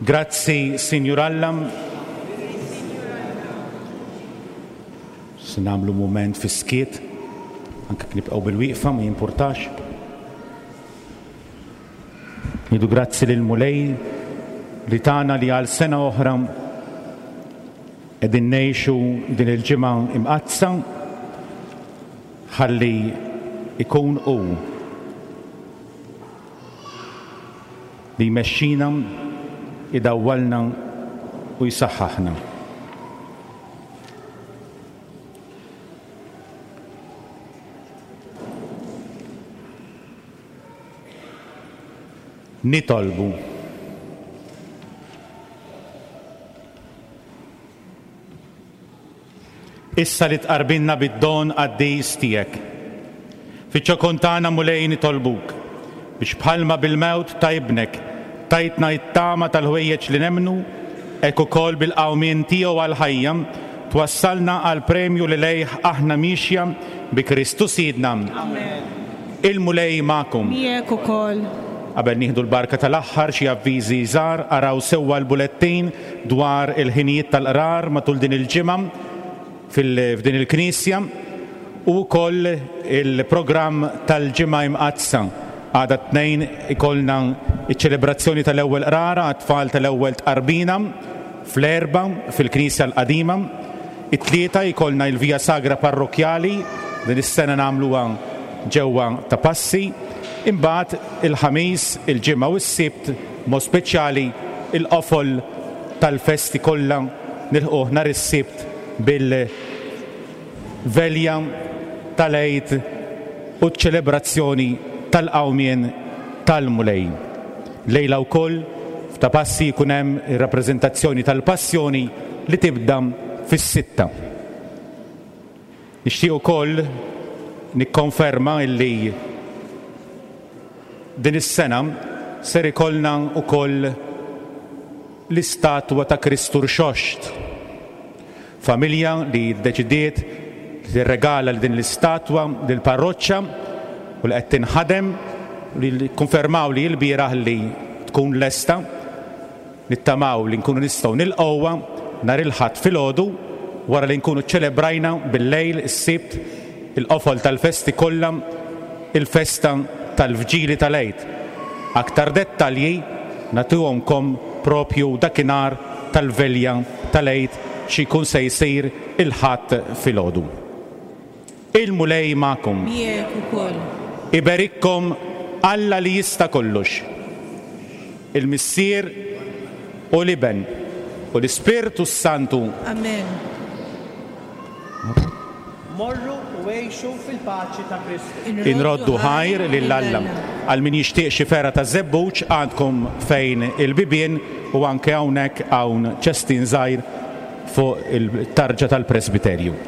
[SPEAKER 6] Grazzi, Sinjur Alla. Se nagħmlu mument fis-skiet, anke jekk nibqgħu bil-wieqfa ma jimpurtax. Ngħidu grazzi lill-Mulej li tana li għal sena oħra qegħdin ngħixu din il-ġimgħa imqaddsa ħalli ikun hu li jmexxina, idawwalna u jsaħħaħna. Nitolbu. Issa li tqarbinna bid-don qaddis tiegħek. Fiċ-ċokon tagħna Mulej nitolbuk biex bħalma bil-mewt ta' Ibnek tajtna t-tama tal-ħwejjeġ li nemmnu, hekk ukoll bil-qawmien tiegħu għall-ħajja twassalna għall-premju li lejh aħna miexja bi Kristu Sidna.
[SPEAKER 7] Amen.
[SPEAKER 6] Il-Mulej magħkom.
[SPEAKER 7] Miegħek ukoll.
[SPEAKER 6] Qabel nieħdu l-barka tal-aħħar xi avviżi żgħar, araw sewwa l-bulettin dwar il-ħinijiet tal-qrar matul din il-ġimgħa f'din il-knisja u wkoll il-programm tal-Ġimgħa Imqaddsa. Għada t-Tnejn ikollna ċ-ċelebrazzjoni tal-ewwel qrara għat-tfal tal-ewwel tqarbina fl-Erbgħa fil-Knisja l-Qadima. It-Tlieta jkollna il-Via Sagra Parrokkjali, din is-sena nagħmluha ġewwa Ta' Passi. Imbagħad il-Ħamis, il-Ġimgħa u s-Sibt B'mod speċjali il-qofol tal-festi kollha nilħquh nhar is-Sibt bil-Velja tal-Għid u ċ-ċelebrazzjoni tal-Qawmien tal-Mulej. Llejla wkoll f'Ta' Passi jkun hemm ir-rappreżentazzjoni tal-Passjoni li tibda fis-sitta. Nixtieq ukoll nikkonferma illi din is-sena ser ikollna wkoll l-istatwa ta' Kristu Rxoxt. Familja li ddeċidiet li tirregala din l-istatwa lill-parroċċa u li qed tinħadem u li kkonfermaw li lbieraħ li tkun lesta. Nittamaw li nkunu nistgħu nilqgħuha nhar il-Ħadd filgħodu wara li nkunu ċċelebrajna bil-lejl is-Sibt il-qofol tal-festi kollha, il-festa tal-Vġili tal-Għid. Aktar dettalji nagħtuhomkom propju dakinhar tal-Velja tal-Għid xi jkun se jsir il-Ħadd filgħodu. Il-Mulej magħkom.
[SPEAKER 7] Miegħek ukoll.
[SPEAKER 6] Iberikkom Alla li jista' kollox, il-Missier u l-Iben u l-Ispirtu s-Santu.
[SPEAKER 7] Amen.
[SPEAKER 10] Morru u għixu fil-paċi ta' Kristu.
[SPEAKER 6] Inroddu ħajr lil Alla. Għal min jixtieq xi fergħa ta' żebbuġ għandkom fejn il-bibien u anke hawnhekk hawn ċestin żgħir fuq it-tarġa tal-presbiterju.